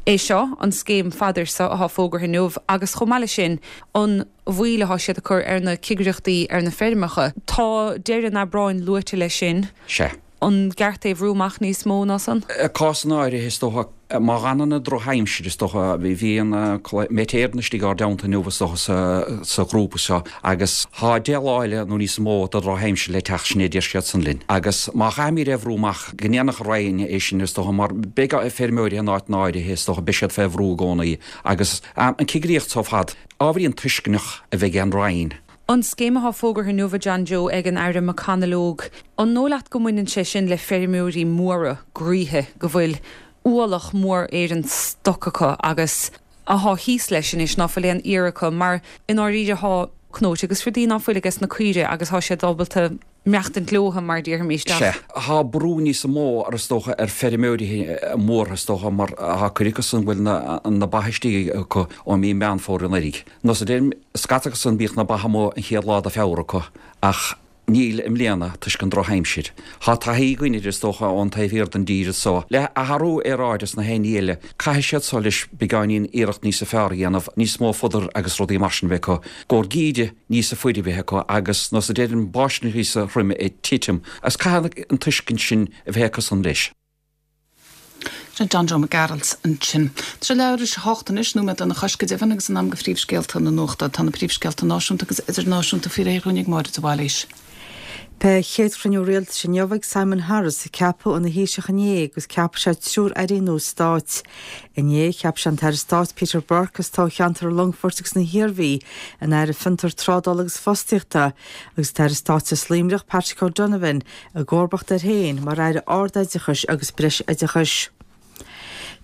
É seo, an scéim fadair seo athá fógartha inniu, agus chomh maith leis sin, an mhoill athá siad ag cur ar na cigireachtaí ar na feirmeacha. Tá deireadh an Aibreáin luaite leis sin. Sea. An gceart é a bhrú amach níos mó ná san? I gcásanna áirithe, is dócha, má dh'fhanann an drochaimsir, is dócha, bhí an Met Éireann istigh ár dteannta inniu, is dócha, sa ghrúpa seo agus thá deich lá eile nó níos mó de dhrochaimsir le teacht, sin é a deir siad san linn. Agus má chaithfimid é a bhrú amach, go ndéanfadh an Roinn é sin, is dócha, mar beidh feirmeoirí in áiteanna áirithe, is dócha, beidh siad fé bhrú i gcónaí agus an cigireacht so ar fad, ábhairín tuisceanach a bheith ag an Roinn. An scéim athá fógartha inniu, a John Joe, ag an Aire McConalogue, an dóigh leat go mbaineann sé sin le feirmeoirí móra groíthe go bhfuil ualach mór ar an stoc acu agus athá thíos leis anois ná fuil aon fhéar acu mar i ndáiríre thá cnóite agus rudaí ná fuil ages na caoirigh agus thá siad ábalta maireachtaint leotha mar déarfaimis ach. Sea, thá brú níos mó ar is dócha ar feirmeoirí móra is dócha mar thá cuid acu san bhfuil na ba istigh acu ó mí Meán Fómhair anuraidh. Nós a deirim, scata acu san bíodh na ba amuigh an chéad lá de Feabhra acu ach níl i mbliana toisc an drochaimsir. Thá taithí againn air is dócha ón taobh thiar den dtír so. Le athrú aeráide is na haon ní eile, caithfidh siad so leis beagáinín iarracht níosa fearr a dhéanamh, níos mó fodar agus rudaí mar sin a bheith acu, gcomhair geimhridh níosa fuaire a bheith acu agus nós a deirim báisteach níosa throime ag titim agus caithfidh an tuiscint sin a bheith acu san leis. Sin John Joe Mac Gearailt ansin. Tá sé leathuair tar éis a hocht anois, nóiméad lena chois go deimhin, agus in am do phríomhscéalta na nuachta. Tá na príomhscéalta náisiúnta agus idirnáisiúnta faoi réir dhúinn ag Máire de Bhailís. Beidh a chéad chruinniú rialtais inniu ag Simon Harris, a ceapadh ina Thaoiseach inné agus ceapfaidh sé triúr airí nua stáit. Inné, cheap sé an tAire Stáit Peter Burke as toghcheantar an Longfoirt agus na hIarmhí ina Aire Fiontar, Trádála agus Fostaíochta agus an tAire Stáit as Luimneach, Patrick O'Donovan, i gcomharbacht air féin mar Aire Ardoideachais agus Breisoideachais.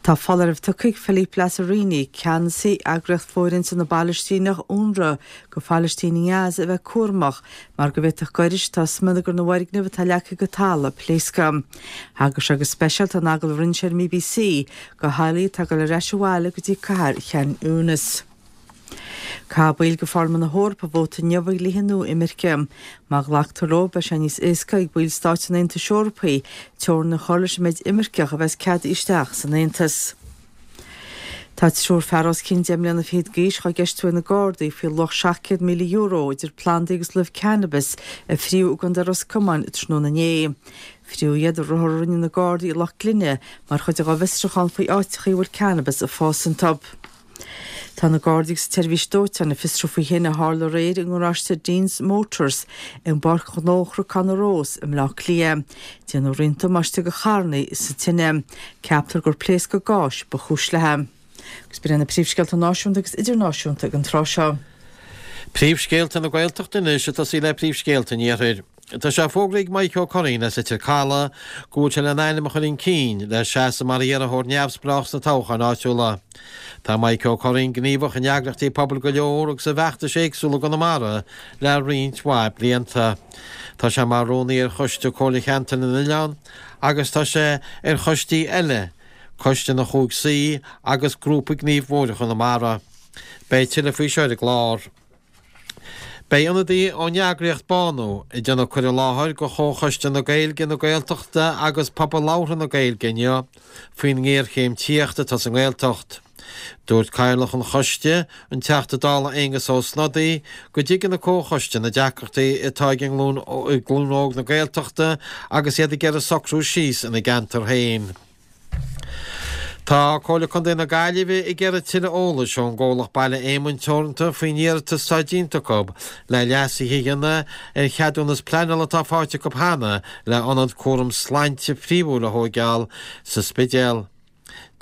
Tá foláireamh tugtha ag Philippe Lazzarini, ceannasaí eagraíocht fóirithinte na bPalaistíneach, Unrwa, go Phalaistínigh i nGaza a bheith cúramach mar go bhféadfadh gairis atá i smionagar na bhfoirgneamh atá leagtha go talamh pléascadh. Thagair sé go speisialta in agallamh a rinne sé ar an mBBC go theaghlaigh atá ag dul ar ais abhaile go dtí cathair Khan Younis. Caithfidh baill de Pharlaimint na hEorpa vóta inniu ar dhlíthe nua imirce. Má ghlactar leo, beidh sé níos éasca ag baill stáit an Aontais Eorpaigh teorainn a chur leis an méid imirceach a bheas ceadaithe isteach san Aontas. Tá triúr fear os cionn deich mbliana fichead d'aois dhá gceistiú ag na Gardaí faoi luach seacht gcéad míle euro idir plandaí agus luibh cannabis a fríodh i gContae Ros Comáin tráthnóna inné. Fríodh iad i ruathar a rinne na Gardaí i Loch Glinne mar chuid de bhfiosrúchán faoi áiteachaí a bhfuil cannabis ag fás iontu. Tá na Gardaí agus an tSeirbhís Dóiteáin ag fiosrú faoi thine a tharla aréir i ngaráiste Dean's Motors i bPáirc Ghnó Chnocán na Rós i mBleá Cliath. Déanadh roinnt damáiste do charranna sa tine. Ceaptar gur pléascadh gáis ba chúis léi. Agus b'in iad na príomhscéalta náisiúnta agus idirnáisiúnta ag an tráth seo. Príomhscéalta na Gaeltachta anois ag tosaí le príomhscéalta an Iarthair. Tá sé fógraithe ag Mike Ó Curraoin as Leitir Calaidh go bhfuil sé lena ainm a chur chun cinn le seasamh mar iarrthóir neamhspleách sna toghcháin áitiúla. Tá Mike Ó Curraoin gníomhach in eagraíochtaí pobail go leor agus i bhfeachtais éagsúla i gConamara le roinnt mhaith blianta. Tá sé mar rúnaí ar Choiste Comhairle Cheantar na nOileán agus tá sé ar choistí eile, Coiste na Chúig Saoi agus Grúpa Gnímh Bhóithre Chonamara. Beidh tuilleadh faoi seo ar an gclár. Beidh ionadaí ón eagraíocht Bánú ag déanamh cur i láthair go Chomhchoiste na Gaeilge, na Gaeltachta agus Pobal Labhartha na Gaeilge inniu faoin ngéarchéim tithíochta atá sa nGaeltacht. Dúirt Cathaoirleach an Choiste, an Teachta Dála Aengus Ó Snodaigh, go dtuigeann an Comhchoiste na deacrachtaí atá ag an nglúin óg na Gaeltachta agus iad ag iarraidh socrú síos ina gceantar féin. Tá Comhairle Contae na Gaillimhe ag iarraidh tuilleadh eolais ón gcomhlacht Baile Éamoinn Teoranta faoin iarratas atá déanta acu le leasuithe a dhéanamh ar cheadúnas pleanála atá faighte acu cheana le ionad cúram sláinte príomhúil a thóigeáil sa Spidéal.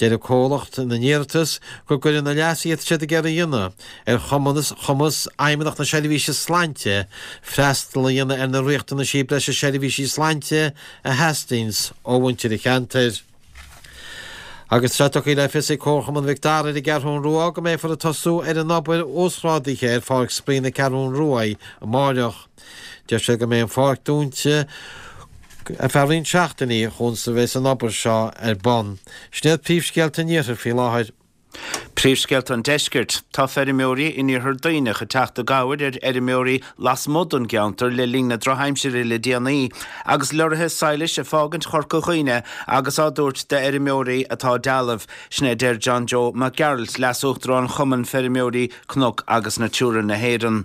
Deir an comhlacht ina n-iarratas go gcuireann na leasuithe atá siad ag iarraidh a dhéanamh ar chumas Fheidhmeannacht na Seirbhíse Sláinte freastal a dhéanamh ar na riachtanaisí breise seirbhísí sláinte a theastaíonns ó mhuintir an cheantair. Agus tá sé tugtha le fios ag Comharchumann Mhic Dara ar an gCeathrún Rua go mbeifear ag tosú ar an obair uasghrádaithe ar Pháirc Spraoi na Ceathrún Ruaidh amáireach. Deir siad go mbeidh an pháirc dúnta ar feadh roinnt seachtainí chun is a bheas an obair seo ar bun. Sin iad príomhscéalta an Iarthair faoi láthair. Príomhscéalta an Deiscirt. Tá feirmeoirí in iarthar Duibhneach ag teacht i gcabhair ar fheirmeoirí lasmuigh den gceantar le linn na drochaimsire le déanaí, agus lorraithe sadhlais ag fágaint Chorca Dhuibhne agus á dtabhairt d'fheirmeoirí atá dealbh. Sin é a deir John Joe Mac Gearailt, Leas-Uachtarán Chumann Feirmeoirí Cnoc agus Natura na hÉireann.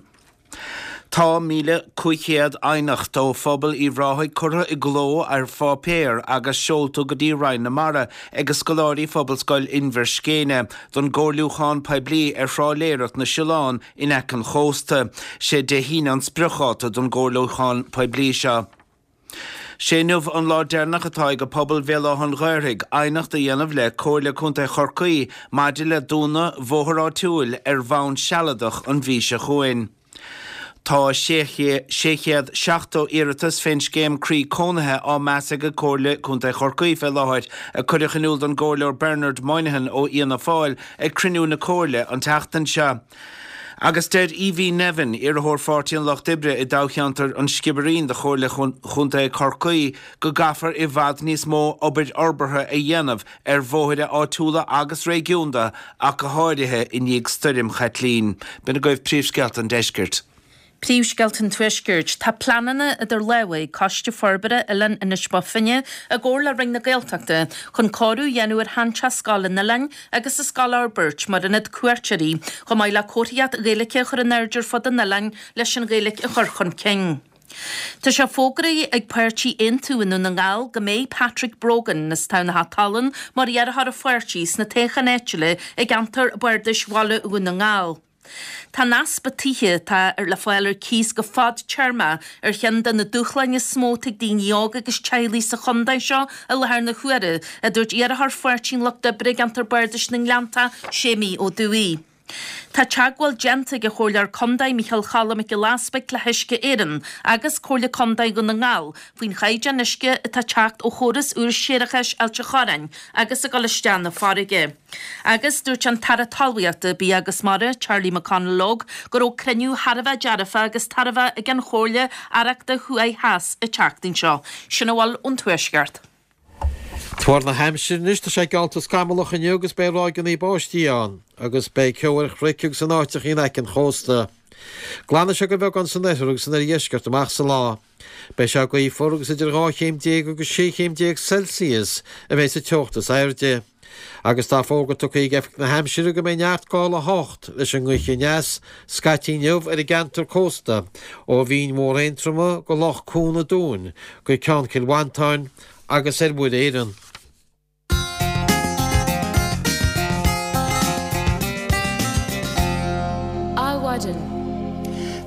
Tá míle cúig chéad aighneacht ó phobal Uíbh Ráthaigh curtha i gcló ar pháipéar agus seolta go dtí Roinn na Mara ag scoláirí Phobalscoil Inbhir Scéine don gcomhairliúchán poiblí ar thrálaeireacht na siolán in aice an chósta. Sé Dé hAoine an spriocdháta don gcomhairliúchán poiblí seo. Sé inniu an lá deireanach atá ag pobal Bhéal Átha an Ghaorthaidh aighneacht a dhéanamh le Comhairle Contae Chorcaí maidir le dúnadh bhóthar áitiúil ar bhonn sealadach an mhí seo chugainn. Tá sé chéad seachtó iarratas fén scéim Croí Cónaithe á meas ag Comhairle Contae Chorcaí fé láthair, a cuireadh in iúl don gComhairleoir Bernard Moynihan ó Fhianna Fáil ag cruinniú na Comhairle an tseachtain seo. Agus deir Evie Nevin, iarrthóir Pháirtí an Lucht Oibre i dtoghcheantar an Sciobairín do Chomhairle Chontae Chorcaí, go gcaithfear i bhfad níos mó obair fhorbartha a dhéanamh ar bhóithre áitiúla agus réigiúnda ach go háirithe i ndiaidh Stoirm Chaitlín. B'in agaibh príomhscéalta an deiscirt. Príomhscéalta an Tuaiscirt. Tá pleananna idir lámha ag Coiste Forbartha Oileán Inis Bó Finne i gcomhar le Roinn na Gaeltachta chun cóiriú a dhéanamh ar sheanteach scoile an oileáin agus an scoil a fhorbairt mar ionad cuairteoirí, chomh maith le comharthaíocht Ghaeilge a chur in airde ar fud an oileáin leis an Ghaeilge a chur chun cinn. Tá sé fógraithe ag páirtí Aontú i nDún na nGall go mbeidh Patrick Brogan as Tamhnach Tallann mar iarrthóir an pháirtí sna toghcháin áitiúla i gceantar Bardais Bhaile Dhún na nGall. Tá an easpa tithe atá le fáil ar cíos go fadtéarmach ar cheann de na dúshláin is mó atá ag daoine óga agus teaghlaigh sa chontae seo i láthair na huaire, a dúirt iarrthóir Pháirtí an Lucht Oibre i gceantar Bardais na nGleanntach, Séimí Ó Dubhthaigh. Tá teagmháil déanta ag an Chomhairleoir Contae Micheál Choilm Mac Giolla Easpaig le hUisce Éireann agus Comhairle Contae Dhún na nGall faoin chaighdeán uisce atá ag teacht ó chóras úr séarachais Ailt an Chorráin agus ag dul isteach na farraige. Agus dúirt an tAire Talmhaíochta, Bia agus Mara, Charlie McConalogue, go raibh cruinniú thar a bheith dearfach agus tairbheach ag an Chomhairle Aireachta Thuaidh Theas an tseachtain seo. Sin a bhfuil ón Tuaisceart. Tuar na haimsire anois, tá sé geallta scamallach inniu agus beidh ráigeanna báistí ann, agus beidh ceo ar chnoic agus in áiteacha in aice an chósta. Glanfaidh sé de bheagán san oirthear agus san oirdheisceart amach sa lá. Beidh sé gaofar agus idir dhá chéim déag agus sé chéim déag Celsius a bheidh sa teocht is airde. Agus tá fógra tugtha ag Oifig na hAimsire go mbeidh neart gála a hocht leis an ngaoth aneas scaití inniu ar an gceantar cósta ó Bhinn Mhór Aontroma go Loch Cuan an Dúin go Ceann Chill Mhantáin agus ar Mhuir Éireann. Adhmhaidin.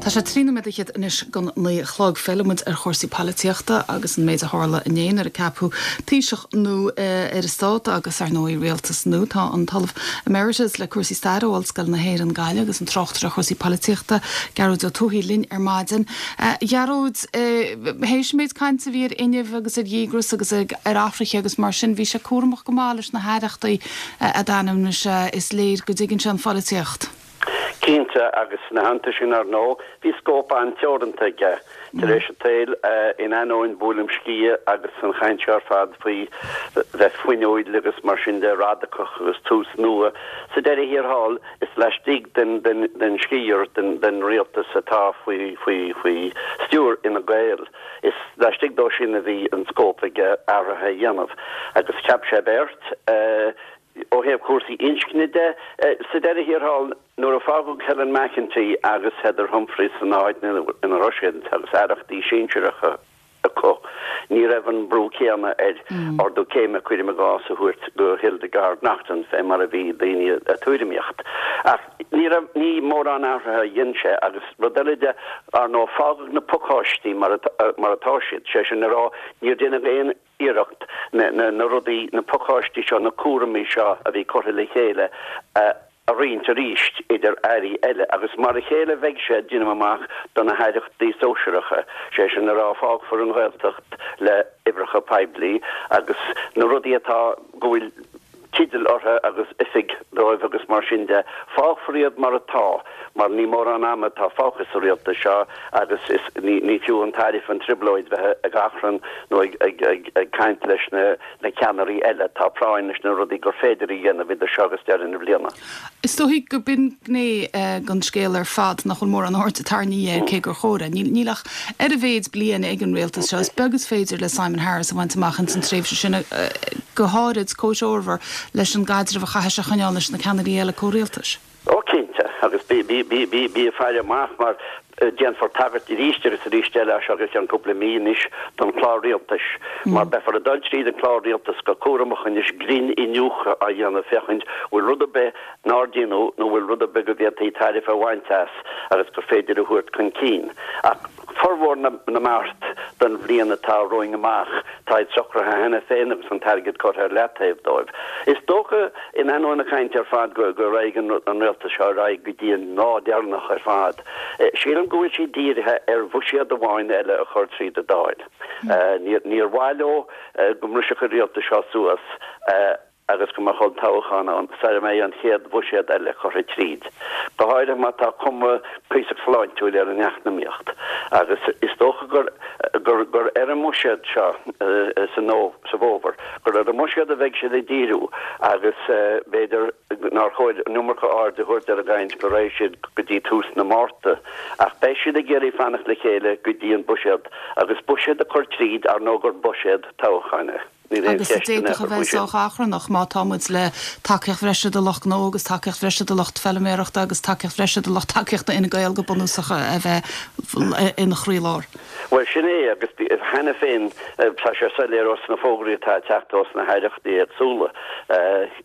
Tá sé trí nóiméad fhichead anois don naoi a chlog. Fillfidh muid ar chúrsaí polaitíochta agus an méid a tharla inné nuair a ceapadh Taoiseach nua ar an stát agus ar ndóigh rialtas nua. Tá an tOllamh Emeritus le cúrsaí staire ó Ollscoil na hÉireann Gaillimh agus an tráchtaire ar chúrsaí polaitíochta Gearóid Ó Tuathaigh linn ar maidin. A Ghearóid, théis an méid cainte a bhí ar fhuinneamh agus ar dhíograis agus ar athruithe agus mar sin, bhí sé cúramach go maith leis na haireachtaí a d'ainmnigh sé. Is léir go dtuigeann sé an pholaitíocht. Cinnte, agus ina theannta sin, ar ndóigh, bhí scóip an-teoranta aige. Tar éis an tsaoil, in ainneoin buaileam sciath agus an chaint seo ar fad faoi bheith fuinniúil agus mar sin de, radacach agus tús nua, sa deireadh thiar thall, is laistigh den sciar den rialtas atá faoi stiúir Fhine Gael, is laistigh dó sin a bhí an scóip aige athruithe a dhéanamh. Agus cheap sé beirt. Ó thaobh cúrsaí inscne de, sa deireadh thiar thall, nuair a fágadh Helen McEntee agus Heather Humphreys san áit ina raibh siad agus aireachtaí sinsearacha acu, ní raibh an brú céanna air ardú céime, cuirim i gcás, a thabhairt do Hildegarde Naughton fé mar a bhí daoine ag tuairimíocht. Ach ní raibh, ní mórán athruithe a dhein sé agus rud eile de, ar ndóigh, fágadh na pacáistí mar atá siad, sé sin le rá, níor deineadh aon iarracht na rudaí, na pacáistí seo, na cúraimí seo a bhí curtha le chéile a roinnt arís idir airí eile agus mar a chéile a bheidh sé, deinim amach, do na haireachtaí sóisearacha, sé sin le rá fágfar an Ghaeltacht le hoibreacha poiblí agus na rudaí atá, go bhfuil teideal orthu agus oifig dóibh agus mar sin de. Fágfar iad mar atá mar ní mórán ama atá fágtha sa rialtas seo agus is ní ní fiú an tairbhe an trioblóid bheith ag achrann nó ag ag ag ag caint leis na na ceannairí eile. Tá práinn leis na rudaí gur féidir a dhéanamh idir seo agus deireadh na bliana. Is dóigh go b'in gné den scéal ar fad nach bhfuil mórán airde tarraingthe air cé gur chóir. Níl ach ar a mhéad bliain ag an rialtas seo. Is beag is féidir le Simon Harris a bhaint amach ins an tréimhse sin go háirid comhthreomhar leis an gcaidreamh a chaithfidh sé a choinneáil leis na ceannairí eile comhrialtais. Ó cinnte, agus bí bí bí bí bí ag faire amach mar déanfar tagairt arís agus arís eile as seo go ceann cúpla mí anois don chlár rialtais mar beifear ag dul tríd an clár rialtais go cúramach anois grinn-iniúchadh á dhéanamh féachaint bhfuil rud ar bith nár déanadh nó bhfuil rud ar bith go bhféadfaí tairbhe a bhaint as agus gur féidir a thabhairt chun cinn. Ach formhór na mbeart don bhliain atá romhainn amach, táid socraithe cheana féin agus an t-airgead curtha ar leataobh dóibh. Is dócha, in ainneoin na cainte ar fad, go raghaidh an rialtas seo ar aghaidh go dtí an lá deireanach ar fad. Sílim go bhfuil siad dírithe ar bhuiséad amháin eile a chur tríd an Dáil. Níor mhaith leo go mbrisfeadh an rialtas seo suas. agus go mbeadh olltoghchán ann sara mbeidh an chéad bhuiséad eile curtha tríd, go háirithe má tá cuma cuíosach sláintiúil ar an eacnamaíocht. Agus is dócha gur gur gur ar an mbuiséad seo sa sa bhfómhar, gur ar an mbuiséad a bheidh siad ag díriú agus b'fhéidir nár chóir an iomarca aird a thabhairt ar an gcaint go raghaidh siad go dtí tús na Márta, ach beidh siad ag iarraidh fanacht le chéile go dtí an buiséad agus buiséad a chur tríd, ar ndóigh gur buiséad toghcháin é. Níl aon Agus cheist in d'fhéadfadh aon a chor bheith faoi sin. sách achrannach má tá muid le tacaíocht bhreise do lucht gnó agus tacaíocht bhreise do lucht feilméarachta agus tacaíocht bhreise do lucht tacaíochta Fhine Gael go bunúsach a bheith ina chroílár. Bhuel, sin é, agus cheana féin tá sé soiléir ós na fógraí atá ag teacht ós na haireachtaí éagsúla,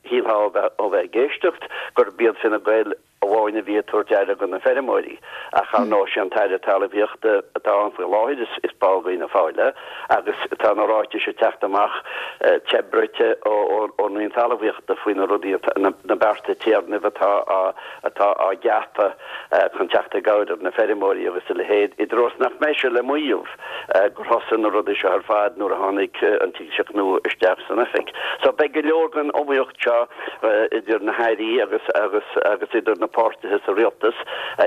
shílfeá ó bheith ag éisteacht gurb iad Fine Gael amháin a bhí ag tabhairt aire do na feirmeoirí, ach ar ndóigh sé an tAire Talmhaíochta atá ann faoi láthair is ball d'Fhianna Fáil é agus tá na ráitis ag teacht amach te bruite ón Roinn Talmhaíochta faoi na rudaí na bearta téarnaimh atá atá á gceapadh chun teacht i gcabhair ar na feirmeoirí agus a leithéid, i dtreo is nach mbeidh sé le maíomh gur thosaigh na rudaí seo ar fad nuair a tháinig an Taoiseach nua isteach san oifig. So beidh go leor den iomaíocht seo idir na hairí agus agus agus idir na páirtithe sa rialtas.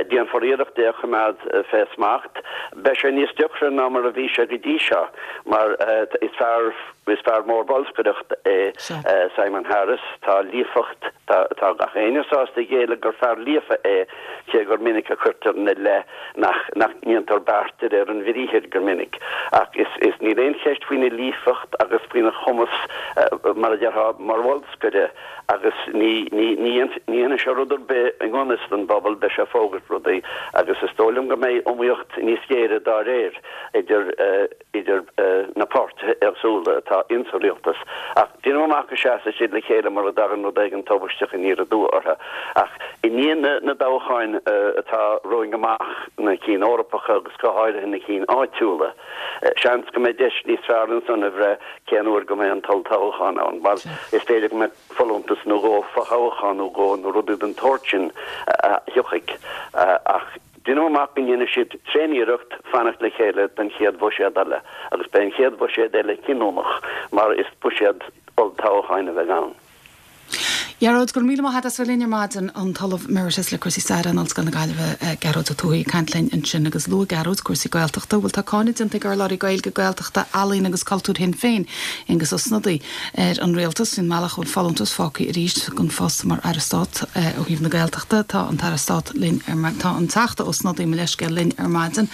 Déanfar iarracht é a choimeád fé smacht. Beidh sé níos deacra ná mar a bhí sé go dtí seo mar is fear is fear mór bolscaireachta é Simon Harris. Tá líofacht tá tá gach éinne sásta géilleadh gur fear líofa é cé gur minic a chuirtear ina leith nach nach ndéantar beart de réir an bhriathair go minic. Ach is is níl aon cheist faoina líofacht agus faoina chumas mar a déarfá mar bholscaire agus ní ní ní dhéanfaidh sé rud ar bith i ngan fhios don bpobal, beidh sé ag fógairt rudaí agus is dóigh liom go mbeidh iomaíocht níos géire dá réir idir idir na páirtithe éagsúla atá insa rialtas. Ach déanaim amach go seasfaidh siad le chéile mura dtagann rud éigin tubaisteach aniar aduaidh orthu. Ach i ndiaidh na na dtoghcháin atá romhainn amach, na cinn Eorpacha agus go háirithe na cinn áitiúla, seans go mbeidh deis níos fearr ansan a bhreith cén uair go mbeidh an t-olltoghchán ann, mar is féidir go mbeidh folúntas nó dhó, fothoghchán nó dhó nó rudaí den tsórt sin a thiocfaidh. Ach déanaim amach go ndéanfaidh siad tréaniarracht fanacht le chéile don chéad bhuiséad eile, agus beidh an chéad bhuiséad eile cinniúnach mar is buiséad olltoghcháin a bheidh ann. Gearóid, go raibh míle maith agat as bheith linn ar maidin, an tOllamh Emeritus le cúrsaí staire in Ollscoil na Gaillimhe, Gearóid Ó Tuathaigh ag caint linn ansin agus luaigh Gearóid cúrsaí Gaeltachta. Bhuel tá cáineadh déanta ag urlabhraí Gaeilge, Gaeltachta, Ealaíon agus Cultúir Shinn Féin, Aengus Ó Snodaigh, ar an rialtas faoin mbealach a bhfuil folúntas fágtha arís don phost mar Aire Stáit ó thaobh na Gaeltachta. Tá an tAire Stáit linn ar tá an Teachta Ó Snodaigh, mo leithscéal, linn ar maidin.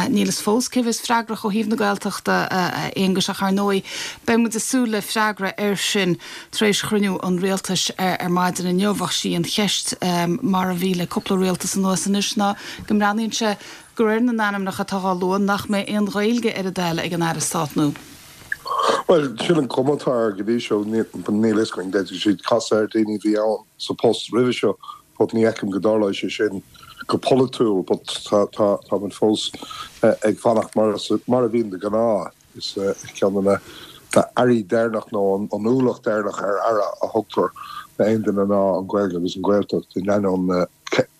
Níl fhios fós cé bheas freagrach ó thaobh na Gaeltachta, a Aonghuis, ach ar ndóigh beidh muid ag súil le freagra air sin tar éis chruinniú an rialtais ar maidin inniu ach sí an cheist mar a bhí le cúpla rialtas anuas anois ná go mbreathnaíonn sé de réir na n-ainmneacha atá á lua nach mbeidh aon Ghaeilge ar a dtoil ag an Aire Stáit nua. Bhuel, sin an cuma atá air go dtí seo. Níl fhios againn, d'fhéadfadh siad casadh ar daoine a bhí ann sa post roimhe seo but ní fheicim go dtarlóidh sé sin go polaitiúil but tá tá táimid fós ag fanacht mar mar a bhíonn de ghnáth. Is ceann de na airí deireanach nó an ualach deireanach ar aire a thugtar d'aon duine ná an Ghaeilge agus an Ghaeltacht in ainneoin na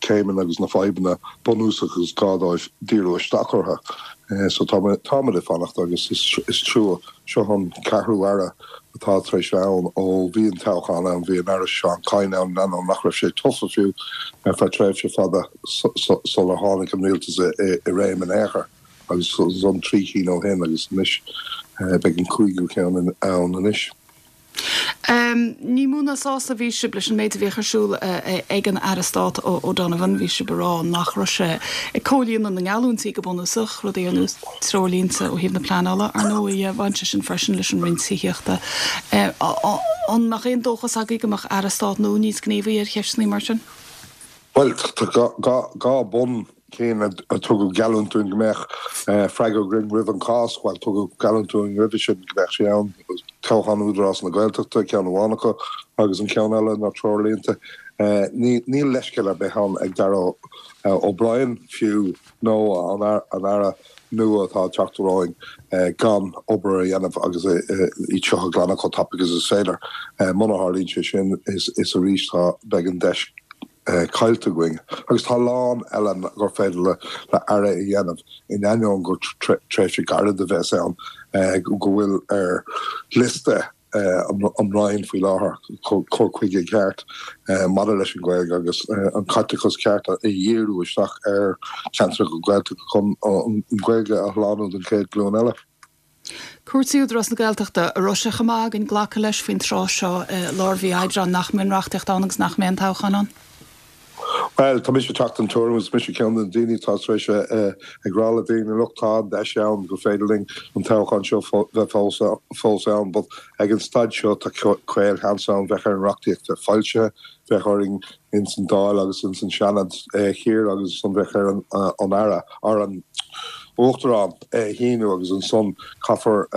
céimeanna agus na fadhbanna bunúsacha is gá dóibh díriú isteach orthu. So táimid ag fanacht agus is trua. Seo an ceathrú aire atá tar éis bheith ann ó bhí an toghchán ann, bhí an Aire Seán Kyne ann, in ainneoin nach raibh sé tofa fiú ar feadh tréimhse fada sular tháinig an rialtas i réim in aon chor, agus ansan trí cinn ó shin agus anois beidh an cúigiú ceann ann anois. Ní mó ná sásta a bhí sibh leis an méid a bhíodh ar siúl ag an Aire Stáit O'Donovan. Bhí sibh ag rá nach raibh sé ag comhlíonadh na ngeallúintí go bunúsach, rudaí ar nós treoirlínte ó thaobh na pleanála. Ar ndóigh, bhain sé sin freisin leis an Roinn Tithíochta. An mbeadh aon dóchas agaibh go mbeadh Aire Stáit nua níos gníomhaí ar cheisteanna mar sin? Bhuel, tá dhá bun cinn a tugadh geallúint dúinn go mbeadh freagra againn roimh an Cháisc, bhuel, tugadh geallúint dúinn roimhe sin go mbeadh sé ann, toghchán Údarás na Gaeltachta, ceann amháin acu, agus an ceann eile ná treoirlínte. Níl leithscéal ar bith ann ag Darragh O'Brien fiú nó an Aire nua atá ag teacht romhainn gan obair a dhéanamh agus iad seo a ghlanadh chomh tapaidh agus is féidir. Muna tharlaíonn sé sin, is arís tá, beidh an deis caillte againn. Agus tá a lán eile gur féidir le hAire a dhéanamh, in ainneoin gur tréimhse gairid a bheas ann, go bhfuil ar liosta an Roinn faoi láthair cur chuige ceart maidir leis an Ghaeilge agus an caiteachas ceart a dhíriú isteach ar cheantracha Gaeltachta chun an Ghaeilge a shlánú don chéad ghlúin eile. Cúrsaí Údarás na Gaeltachta, an raibh sé chomh maith againn glacadh leis faoin tráth seo i lár mhí Aibreáin nach mbeidh an reachtaíocht ann agus nach mbeidh an toghchán ann? Bhuel, tá mise ag teacht den tuairim agus mise ceann de na daoine atá tar éis ag rá le daoine, look, tá an deis ann gur féidir linn an toghchán seo bheith fós ann but ag an staid seo tá caolsheans ann bheadh ar an reachtaíocht bheith foilsithe, bheadh orainn ins an Dáil agus ins an Seanad thiar agus ansan bheadh ar an Aire, ar an Uachtarán é a shíniú agus ansan caithfear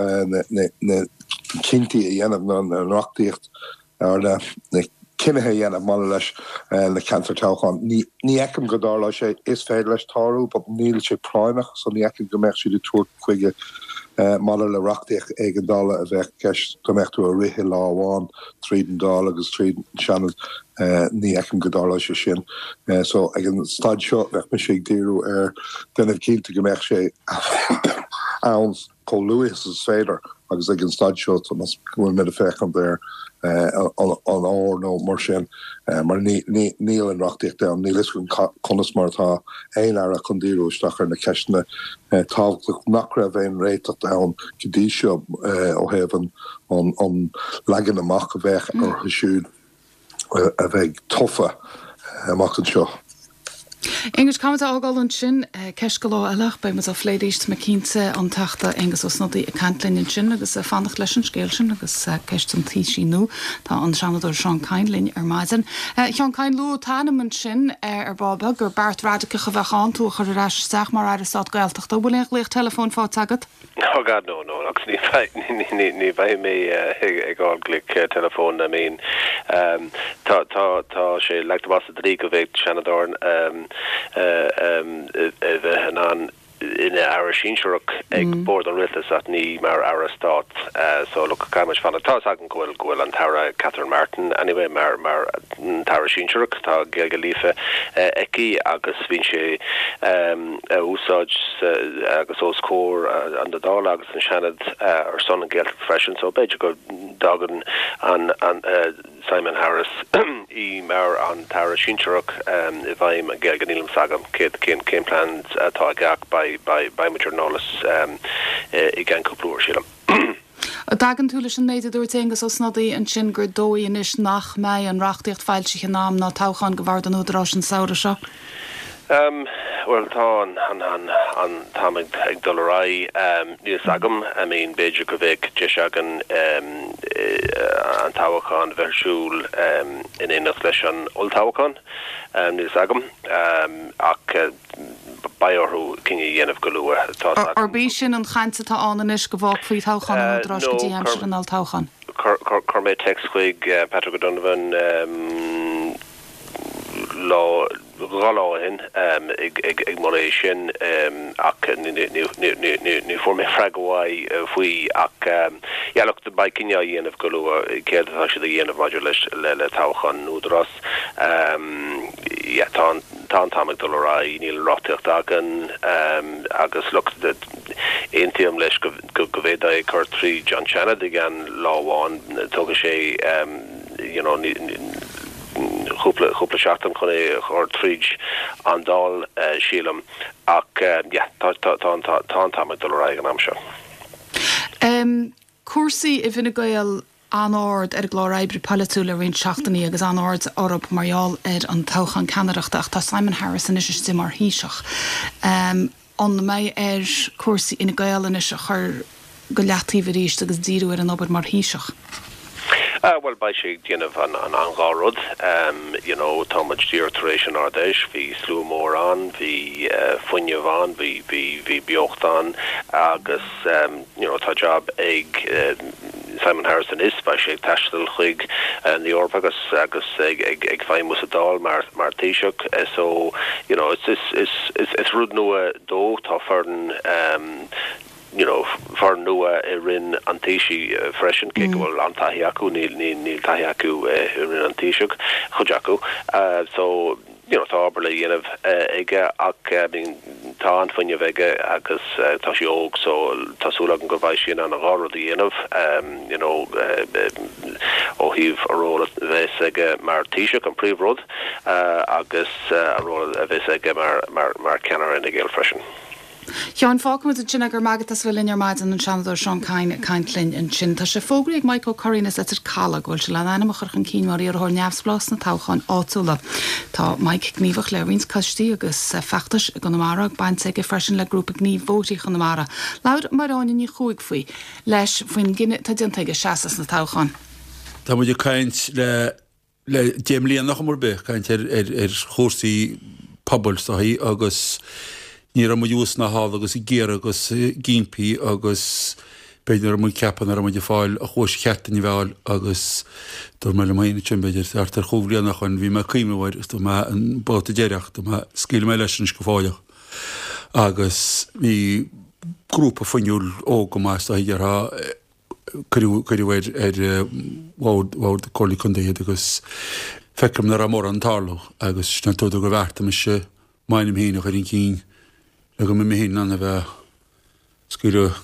na cinntí a dhéanamh, na reachtaíocht ar na cinnithe a dhéanamh maidir leis na ceantair toghcháin. Ní fheicim go dtarlóidh sé. Is féidir leis tarlú but níl sé práinneach so ní fheicim go mbeadh siad ag tabhairt chuige maidir le reachtaíocht éigeandála a bheadh i gceist go mbeadh tú a rith i lá amháin tríd an Dáil agus tríd an Seanad. Ní fheicim go dtarlóidh sé sin. So ag an staid seo bheadh mise ag díriú ar déanamh cinnte go mbeadh sé ann chomh luath is is féidir agus ag an staid seo go bhfuil muid ag féachaint ar an fhómhar nó mar sin mar níl an reachtaíocht ann, níl fhios agam conas mar atá aon aire chun díriú isteach ar na ceisteanna tábhachtach nach raibh aon réiteach ann go dtí seo ó thaobh an leagan amach a bheadh orthu siúd a bheidh tofa amach anseo. Aengus, caithfidh muid é a fhágáil ansin. Ceist do lá eile ach beidh muid á phlé arís, tá mé cinnte, an Teachta Aengus Ó Snodaigh ag caint linn ansin agus ag fanacht leis an scéal sin agus ceist an Taoisigh nua. Tá an Seanadóir Seán Kyne linn ar maidin. A Sheáin Kyne, luadh t'ainm ansin ar ball beag gur beart raidiceach a bheadh ann tú a chur ar ais isteach mar Aire Stáit Gaeltachta. An bhfuil aon ghlaoch teileafóin faighte agat? Oh God no, no, agus ní bheidh, ní bheidh mé ag fáil glaoch teileafóin, I mean tá, tá, tá sé leagtha amach sa dlí go bhféadfadh Seanadóir a bheith in ann ina aire sinsearach ag bord an rialtais ach ní mar aire stáit so look caithfidh muid fanacht. Tá fhios agam go bhfuil, go bhfuil an tAire Catherine Martin anyway mar, mar an tAire sinsearach, tá Gaeilge líofa aici agus bíonn sí á úsáid agus os comhair an Dála agus an Seanad ar son an Ghaeltacht freisin so b'fhéidir go dtoghfaidh an Simon Harris í mar an tAire sinsearach i bhfeidhm an Ghaeilge. Níl a fhios agam céard cén cén plean atá aige ach beidh beidh beidh muid ar an eolas i gceann cúpla uair sílim. An dtagann tú leis an méid a dúirt Aengus Ó Snodaigh ansin gur dóigh anois nach mbeidh an reachtaíocht foilsithe in am ná toghchán do Bhord an Údaráis an samhradh seo? Bhuel, tá an, an, an, an t-am ag, ag dul ar aghaidh. Níl fhios agam, I mean, b'fhéidir go bheadh deis againn an toghchán a bheith ar siúl in éineacht leis an olltoghchán. Níl fhios agam. Ach beidh orthu cinneadh a dhéanamh go luath. Tá fhios agam. Arb í sin an chaint atá ann anois, go bhfágfaí toghchán an Údaráis go dtí aimsir an olltoghcháin? Chuir mé téacs chuig Patrick O'Donovan lá, dhá lá ó shin ag moladh é sin ach ní fuair mé freagra uaidh faoi ach yeah look beidh cinneadh á dhéanamh go luath céard atá siad a dhéanamh maidir leis le toghchán an Údarás. Yeah tá an tá an t-am ag dul ar aghaidh, níl an reachtaíocht againn agus look, aontaím leis go bhféadfaí é cur tríd an Seanad i gceann lá amháin, tógfaidh sé you know cúpla cúpla seachtain chun é a chur tríd an Dáil sílim ach yeah tá tá tá tá an t-am ag dul ar aghaidh an am seo. Cúrsaí i bhFine Gael an-ard ar an gclár oibre polaitiúil le roinnt seachtainí agus an-aird orthu mar gheall ar an toghchán ceannaireachta ach tá Simon Harris anois istigh mar Thaoiseach. An mbeidh air cúrsaí Fhine Gael anois a chur go leataobh arís agus díriú ar an obair mar Thaoiseach? Bhuel, beidh sé ag déanamh an an dhá rud. You know, tá muid díreach tar éis an Ard-Fheis, bhí slua mór ann, bhí fuinneamh ann, bhí bhí bhí beocht ann agus you know, tá jab ag Simon Harris anois, beidh sé ag taisteal chuig an Eoraip agus agus ag ag ag feidhmiú sa Dáil mar mar Taoiseach. So, you know, it's is is is is rud nua dó, tá foireann you know, foireann nua i Roinn an Taoisigh freisin, cé go bhfuil an-taithí acu, níl níl taithí acu i Roinn an Taoisigh, chuid acu. So, you know, tá obair le dhéanamh aige ach I mean, tá an-fhuinneamh aige agus tá sé óg so tá súil agam go mbeidh sé in ann an dhá rud a dhéanamh, you know, ó thaobh a ról a bheas aige mar Taoiseach an príomhrud agus a ról a bheas aige mar mar mar ceannaire Fhine Gael freisin. Sheáin, fágfaimid ansin é, go raibh maith agat as a bheith linn ar maidin, an Seanadóir Seán Kyne ag caint linn ansin. Tá sé fógraithe ag Mike Ó Curraoin as Leitir Caladh go bhfuil sé lena ainm a chur chun cinn mar iarrthóir neamhspleách sna toghcháin áitiúla. Tá Mike gníomhach le roinnt coistí agus feachtais i gConamara, baint aige freisin le grúpa gnímh Bhóithre Chonamara. Labhair Máire Áine Ní Chuaig faoi leis faoin gcinneadh atá déanta aige seasamh sna toghcháin. Tá muid ag caint le le deich mbliana chuma ar bith, caint ar ar ar chúrsaí pobail is dóichí agus ní raibh muid thuas ná thall agus ag iarraidh agus ag impí agus b'fhéidir nach raibh muid ag ceapadh nach raibh muid ag fáil an chluais cheart a fháil agus dúirt mé liom féin ansin b'fhéidir thart ar chúig bhliana ó shoin bhí mé ag cuimhneamh air agus dúirt mé an babhta deireach dúirt mé scaoilfidh mé leis anois go fóilleach agus bhí grúpa fuinniúil óg go maith is dóichí déarfá cuireadh cuireadh ar ar bhord bhord Comhairle Contae iad agus feicim nach raibh mórán ag tarlú agus sin an t-údar gur bheartaigh mise m'ainm féin a chur chun cinn le go mbeidh mé féin in ann a bheith ag scaoileadh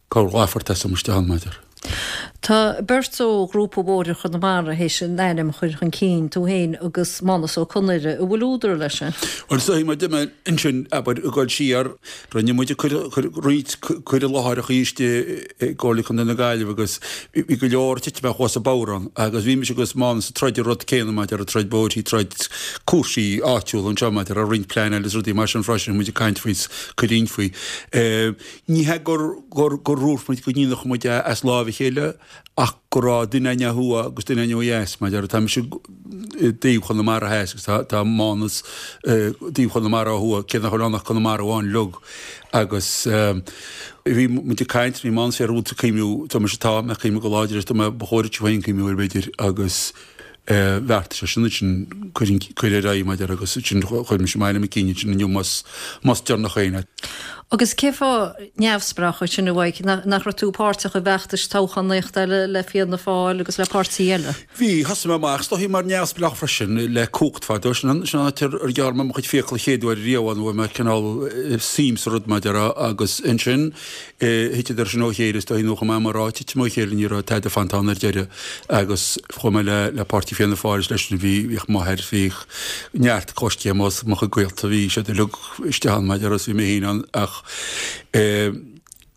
corrlaphort asam isteach ann, mar a déarfá. Tá beirt ó Ghrúpa Bhóithre Chonamara théis a n-ainm a chur chun cinn, tú féin agus Mánus Ó Conaire. An bhfuil údar leis sin? Bhuel, is dóigh, mar deir mé ansin, abair, ag dul siar, rinne muid roinnt cur i láthair istigh i gComhairle Contae na Gaillimhe agus bhí go leor ag titim amach as an bodhrán agus bhí mise agus Mánus ag troid an rud céanna maidir le troid bóithrí, troid cúrsaí áitiúla anseo maidir le roinnt pleanáil agus rudaí mar sin freisin, muid ag caint faoi is cur inn faoi. Ní hea gur gur gur dhúirt muid go ndéanfadh muid é as láimh a chéile ach go raibh duine againn ó thuaidh agus duine againn ó dheas mar a déarfá. Tá mise i dtaobh Chonamara theas agus tá tá Mánas i dtaobh Chonamara ó thuaidh, cé nach bhfuil ann ach Conamara amháin uilig. Agus bhí muid ag caint, bhí Mánas ar rud ag cuimhniú, tá mise tá mé ag cuimhniú go láidir ar, tá mé ba chóir duit féin cuimhniú air b'fhéidir agus bheartaigh sé sin ansin cur ar aghaidh mar a déarfá agus ansin chuir mise m'ainm chun cinn ansin inniu más más deireanach féin. Agus cén fáth neamhspleách ansin a Mhaidhc, nach raibh tú páirteach i bhfeachtais toghchánaíochta eile le Fianna Fáil agus le páirtí eile? Bhí, thosaigh mé amach is dóichí mar neamhspleách freisin le Cumhacht fadó, sin an sin an áit ar ar ghearr mé mo chuid fiacal an chéad uair riamh ann, bhfuair mé cineál suim sa rud mar a déarfá agus ansin Thiteadar sin ó chéile is dóichí nó chomh maith mar a titim ó chéile ní raibh tada fanta ann ar deireadh agus chuaigh mé le le páirtí Fianna Fáil is leis sin bhí bhíodh m'athair bhíodh neart coistí mo mo chuid gaolta bhí siad uilig istigh ann mar a déarfá agus bhí mé féin ann ach eh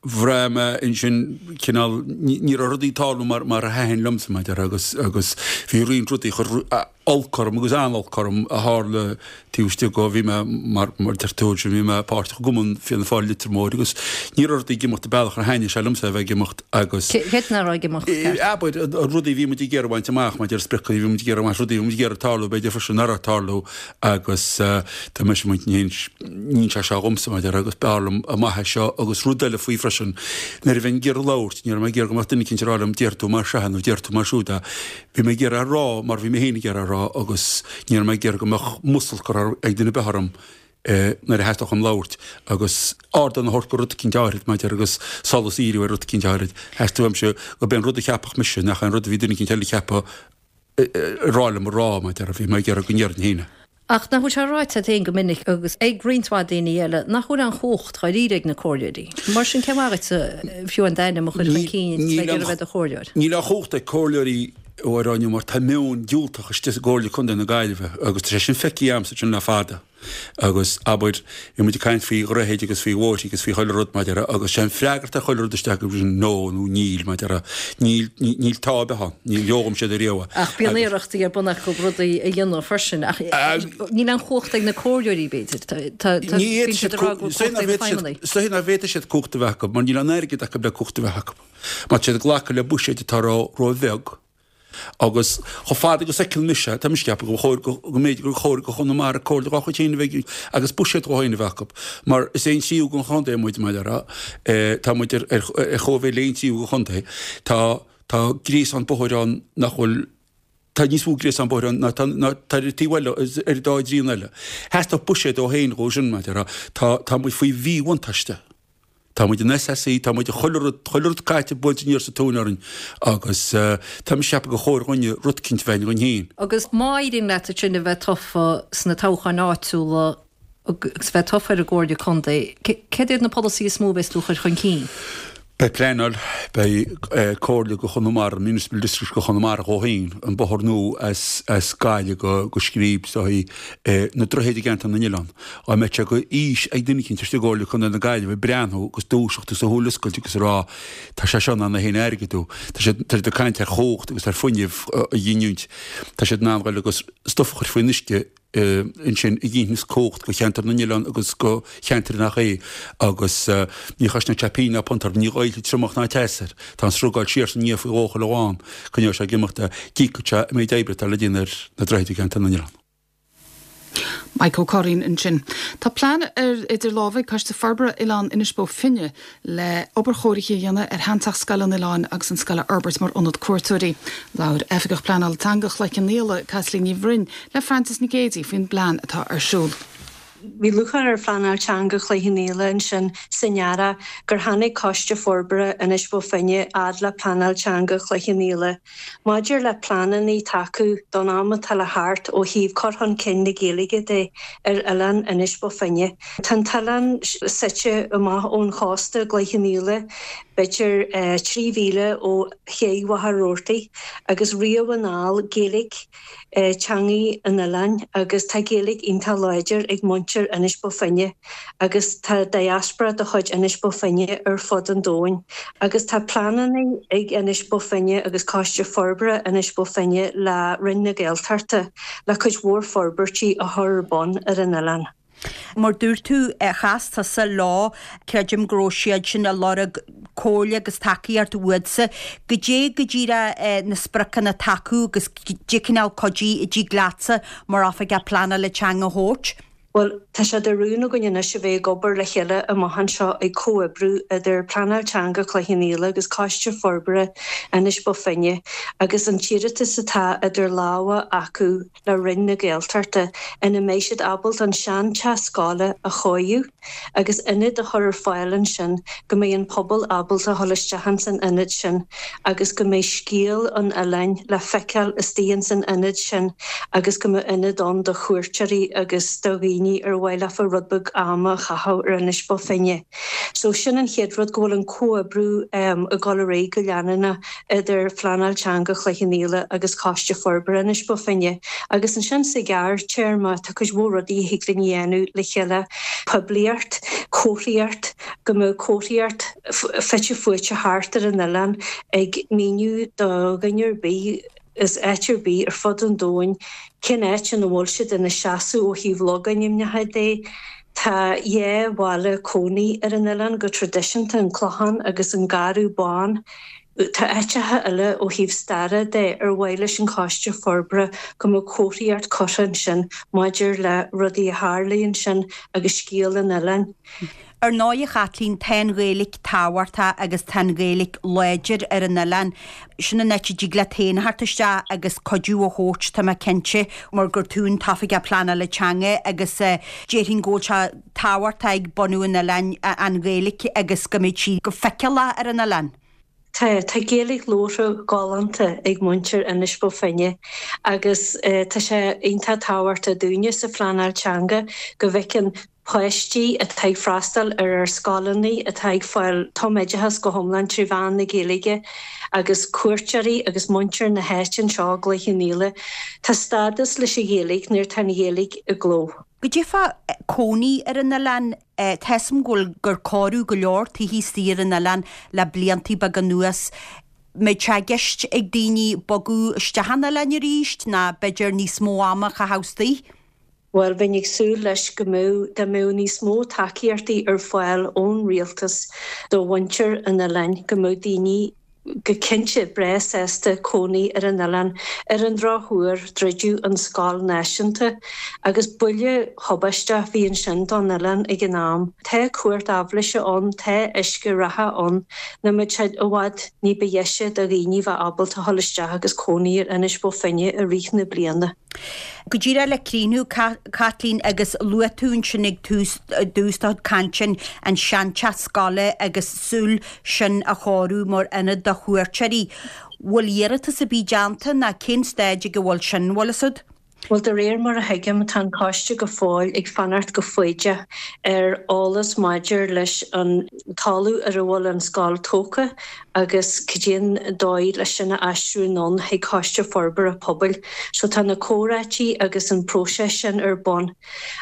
bhraith mé ansin cineál ní ní raibh rudaí ag tarlú mar mar a thaitin liomsa mar a déarfá agus agus bhí roinnt rudaí chuir olc orm agus an-olc orm a tharla taobh istigh de, bhí mé, mar mar deir tú ansin, bhí mé páirteach i gCumann Fianna Fáil Leitir Móir agus ní raibh rudaí ag imeacht an bealach ar thaitnigh sé liomsa a bheith ag imeacht agus. Céard nach raibh ag imeacht ceart? Abair, an rudaí a bhí muid ag iarraidh a bhaint amach maidir le spriocanna a bhí muid ag iarraidh a bhaint, rudaí a bhí muid ag iarraidh tarlú, b'fhéidir freisin nach raibh ag tarlú agus tá mise muid ní ní sé seo dhomsa mar a déarfá agus b'fhearr liom amach é seo agus rud eile faoi freisin nuair a bheinn ag iarraidh labhairt ní raibh mé ag iarraidh go mbeadh duine eicínt ag rá liom déarfaidh tú mar seo nó déarfaidh tú mar siúd é. Bhí mé ag iarraidh a rá mar bhí mé féin ag iarraidh a rá agus ní raibh mé ag iarraidh go mbeadh musal curtha ag duine ar bith orm nuair a theastódh uaim labhairt agus ardán a thabhairt do rud eicínt áithrid mar a déarfá agus solas a dhíriú ar rud eicínt áithrid. Theastaigh uaimse gurb é an rud a cheapfadh mise nach é an rud a bhí duine eicínt eile a cheapadh ag rá liom a rá mar a déarfá. Bhí mé ag iarraidh go ndéarfainn féin é. Ach nach bhfuil sé ráite agat féin go minic agus ag roinnt mhaith daoine eile nach bhfuil aon chumhacht dháiríre ag na comhairleoirí. Mar sin cén mhaith duit fiú an d'ainm a chur chun cinn is bheith ag iarraidh bheith i do chomhairleoir? Níl aon chumhacht ag comhairleoirí a Mháire mar tá meon diúltach istigh i gComhairle Contae na Gaillimhe agus tá sé sin feicthe agamsa ansin le fada. Agus, abair, bhí muid ag caint faoi dhroichid agus faoi bhóithre agus faoi chuile rud, mar a déarfá, agus sé an freagairt ar chuile rud isteach go sin no nó níl, mar a déarfá. Níl, níl tá ar bith ann, ní gheobhaidh siad ariamh é. Ach bíonn iarrachtaí ar bun acu rudaí a dhéanamh freisin, ach níl aon chumhacht ag na comhairleoirí, b'fhéidir. Tá, tá, Ní bíonn siad ag rá go bhfuil cumhacht ag na feidhmeannaigh. Is dóigh nach bhféadfaidh siad cumhacht a bheith acu, mar níl an airgead acu le cumhacht a bheith acu. Má tá siad ag glacadh le buiséid atá ró, ró-bheag. Agus chomh fada agus a fheiceann mise, tá mise ag ceapadh go chóir go mb'fhéidir gur chóir do Chonamara comhairle dhá chuid féin a bheith agus buiséad dhó féin a bheith acu. Mar is aon tríú den chontae muid, mar a déarfá. Tá muid ar chóimhéid le aon tríú den chontae. Tá tá gréasán bóthair ann nach bhfuil tá níos mó gréasán bóthair ann ná tá ná tá ar an taobh eile ar an dá dtrian eile. Theastódh buiséad dhó féin dhó sin, mar a déarfá. Tá tá muid faoi mhíbhuntáiste. Tá muid in SSE, tá muid i chuile rud, chuile rud caite buailte aniar sa tóin orainn agus tá mise ag ceapadh gur chóir dhúinne rud eicínt a bheith againn féin. Agus má éiríonn leat ansin a bheith tofa sna toghcháin áitiúla agus bheith tofa ar an gComhairle Contae, céard iad na polasaithe is mó a bheas tú a chur chun cinn? Beidh pleanáil, beidh Comhairle do Chonamara, Municipal District do Chonamara dhó féin, an bóthar nua as as Gaillimh go go Scríb is dóichí, na droichid i gceantar na n-oileán. Dá mbeadh sé de fhís ag duine eicínt istigh i gComhairle Contae na Gaillimhe breathnú agus dúiseacht agus a shúil oscailt agus a rá tá sé seo in ann é féin a airgeadú. Tá siad tá siad ag caint ar chumhacht agus ar fuinneamh a ghiniúint. Tá siad in ann dul agus stuif a chur faoin uisce ansin a ghinfeas cumhacht do cheantar na n-oileán agus do cheantair nach é agus ní chosnóidh sé pingin ná punt orthu, ní ghoillfidh triomach ná teas air. Tá an sruth ag dul siar is aniar faoi dhó chuile lá, coinneoidh sé ag imeacht é, d'íocfadh sé an méid oibre atá le déanamh ar na droichid i gceantar na n-oileán. Mike Ó Curraoin ansin. Tá plean ar idir lámha ag Coiste Forbartha Oileán Inis Bó Finne le obair chóirithe a dhéanamh ar sheanteach scoile an oileáin agus an scoil a fhorbairt mar ionad cuairteoirí. Labhair Oifigeach Pleanála Teanga Chloich Cheann Fhaola, Caitlín Ní Bhroin, le Frances Nic Géadaigh faoin bplean atá ar siúl. Bhí lúcháir ar Phleanáil Teanga Chloich Cheann Fhaola ansin san earrach gur tháinig Coiste Forbartha Inis Bó Finne fhad le Pleanáil Teanga Chloich Cheann Fhaola maidir le pleananna tacú don am atá le theacht ó thaobh cur chun cinn na Gaeilge de ar oileán Inis Bó Finne. Tá an t-oileán suite amach ón chósta i gCloich Cheann Fhaola, b'fhéidir trí mhíle ó ché Mhachaire Rabhartaigh, agus riamh anall Gaeilge teangaidh an oileáin agus tá Gaeilge iontach láidir ag muintir Inis Bó Finne agus tá diaspora de chuid Inis Bó Finne ar fud an domhain agus tá pleananna ag Inis Bó Finne agus Coiste Forbartha Inis Bó Finne le Roinn na Gaeltachta le cuid mhór forbairtí a chur ar bun ar an oileán. Mar dúirt tú, chas tusa leo, creidim go raibh siad sin ag lorg comhairle agus tacaíocht uatsa. Goidé go díreach na spriocanna atá acu agus goidé cineál cuidiú a dtig leatsa mar oifigeach pleanála teanga a thabhairt? Bhuel, tá sé de rún againn anois a bheith ag obair le chéile amach anseo ag comhoibriú idir Pleanáil Teanga Chloich Cheann Fhaola agus Coiste Forbartha Inis Bó Finne agus an t-iarratas atá idir lámha acu le Roinn na Gaeltachta ina mbeidh siad ábalta an seanteach scoile a chóiriú agus ionad a chur ar fáil ansin go mbeidh an pobal ábalta a dhul isteach ins an ionad sin agus go mbeidh scéal an oileáin le feiceáil istigh ins an ionad sin agus go mbeidh ionad ann do chuairteoirí agus do dhaoine ar mhaith leofa rud beag ama a chaitheamh ar Inis Bó Finne. So sin an chéad rud, go bhfuil an comhoibriú ag dul ar aghaidh go leanúnach idir Phleanáil Teanga Chloich Cheann Fhaola agus Coiste Forbartha Inis Bó Finne. Agus ansin sa ghearrtéarma tá cuid mhór rudaí a thig linn a dhéanamh le chéile, poiblíocht, comharthaíocht, go mbeadh comharthaíocht fite fuaite thart ar an oileán ag míniú do dhuine ar bith as áit ar bith ar fud an domhain cén áit ina bhfuil siad ina seasamh ó thaobh logainmneacha de. Tá dhá bhaile cónaí ar an oileán go traidisiúnta, an Clochán agus an Garbh Bán. Tá áiteacha eile ó thaobh staire de ar mhaith leis an Choiste Forbartha go mbeadh comharthaíocht curtha ansin maidir le rudaí a tharlaigh ansin agus scéal an oileáin. Ar ndóigh, a Chaitlín, tá an Ghaeilge tábhachtach agus tá an Ghaeilge láidir ar an oileán. Sin an áit a dtig leat féin a theacht isteach agus cuidiú a thabhairt, tá mé cinnte, mar gur tú an tOifigeach Pleanála Teanga agus déarfainn go bhfuil sé tábhachtach ag bunú an oileáin an Ghaeilge agus go mbeidh sí go feiceálach ar an oileán. Tá, tá Gaeilge labhartha galánta ag muintir Inis Bó Finne agus tá sé iontach tábhachtach dúinne sa phleanáil teanga go bhfeiceann páistí atá ag freastal ar ár scoileanna atá ag fáil tumoideachas go hiomlán trí mheán na Gaeilge agus cuairteoirí agus muintir na háite anseo i gCloich Cheann Fhaola. Tá stádas leis an Ghaeilge nuair atá an Ghaeilge i gcló. Goidé fá cónaí ar an oileán, tá 'fhios a'm go bhfuil gur cóiriú go leor tithe istigh ar an oileán le bliantaí beaga anuas. Mbeidh sé i gceist ag daoine bogadh isteach an oileáin arís ná b'fhéidir níos mó ama a chaitheamh istigh? Bhuel, bheinn ag súil leis go mbeadh, dá mbeadh níos mó tacaíochtaí ar fáil ón rialtas do mhuintir an oileáin, go mbeadh daoine go cinnte breá sásta cónaí ar an oileán. Ar an drochuair, druideadh an scoil náisiúnta agus buille thubaisteach a bhí ansin don oileán ag an am. Tá cumhacht aibhléise ann, tá uisce reatha ann, nach mbeadh sé i bhfad ní ba dheise do dhaoine bheith ábalta dhul isteach agus cónaí ar Inis Bó Finne i rith na bliana. Go díreach le críochnú, Caitlín, agus luaigh tú ansin ag tús do chuid cainte an seanteach scoile agus súil sin a chóiriú mar ionad do chuairteoirí. Bhfuil iarratas ar bith déanta ná cén staid ag a bhfuil sin, bhfuil fhios a'd? Bhuel, de réir mar a thuigim, tá an coiste go fóill ag fanacht go foighdeach ar eolas maidir leis an talamh ar a bhfuil an scoil tógtha agus cad é an dóigh leis sin a aistriú anonn chuig Coiste Forbartha Pobail. So tá na comhráití agus an próiseas sin ar bun.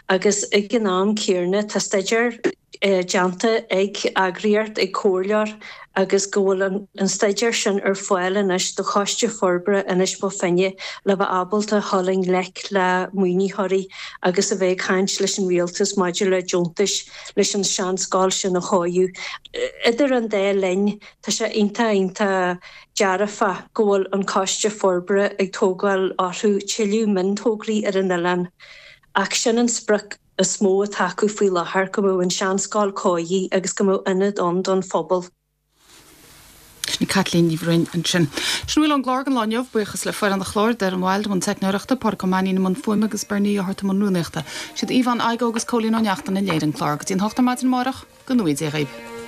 Agus ag an am céanna tá staidéar déanta ag eagraíocht, ag comhairleoir agus go bhfuil an staidéar sin ar fáil anois do Choiste Forbartha Inis Bó Finne le bheith ábalta dhul i ngleic le maoinitheoirí agus a bheith ag caint leis an rialtas maidir le deontais leis an seanscoil sin a chóiriú. Idir an dá linn, tá sé iontach iontach dearfach go bhfuil an Coiste Forbartha ag tógáil orthu tuilleadh miontógraí ar an oileán ach sin an sprioc is mó atá acu faoi láthair, go mbeadh an seanscoil cóirithe agus go mbeadh ionad ann don phobal. Sin í Caitlín Ní Bhroin ansin. Sin a bhfuil ón gclár don lá inniu. Buíochas le foireann an chláir, Darren Wilde i mbun teicneoireachta, Pádraig Ó Mainnín i mbun fuaime agus Bernie Ó hEarta i mbun rúnaíochta. Siad Yvonne Igoe agus Cóilín Ó Neachtain a léirigh an clár. Go dtí an hocht ar maidin amárach, go ngnóthaí Dia dhaoibh.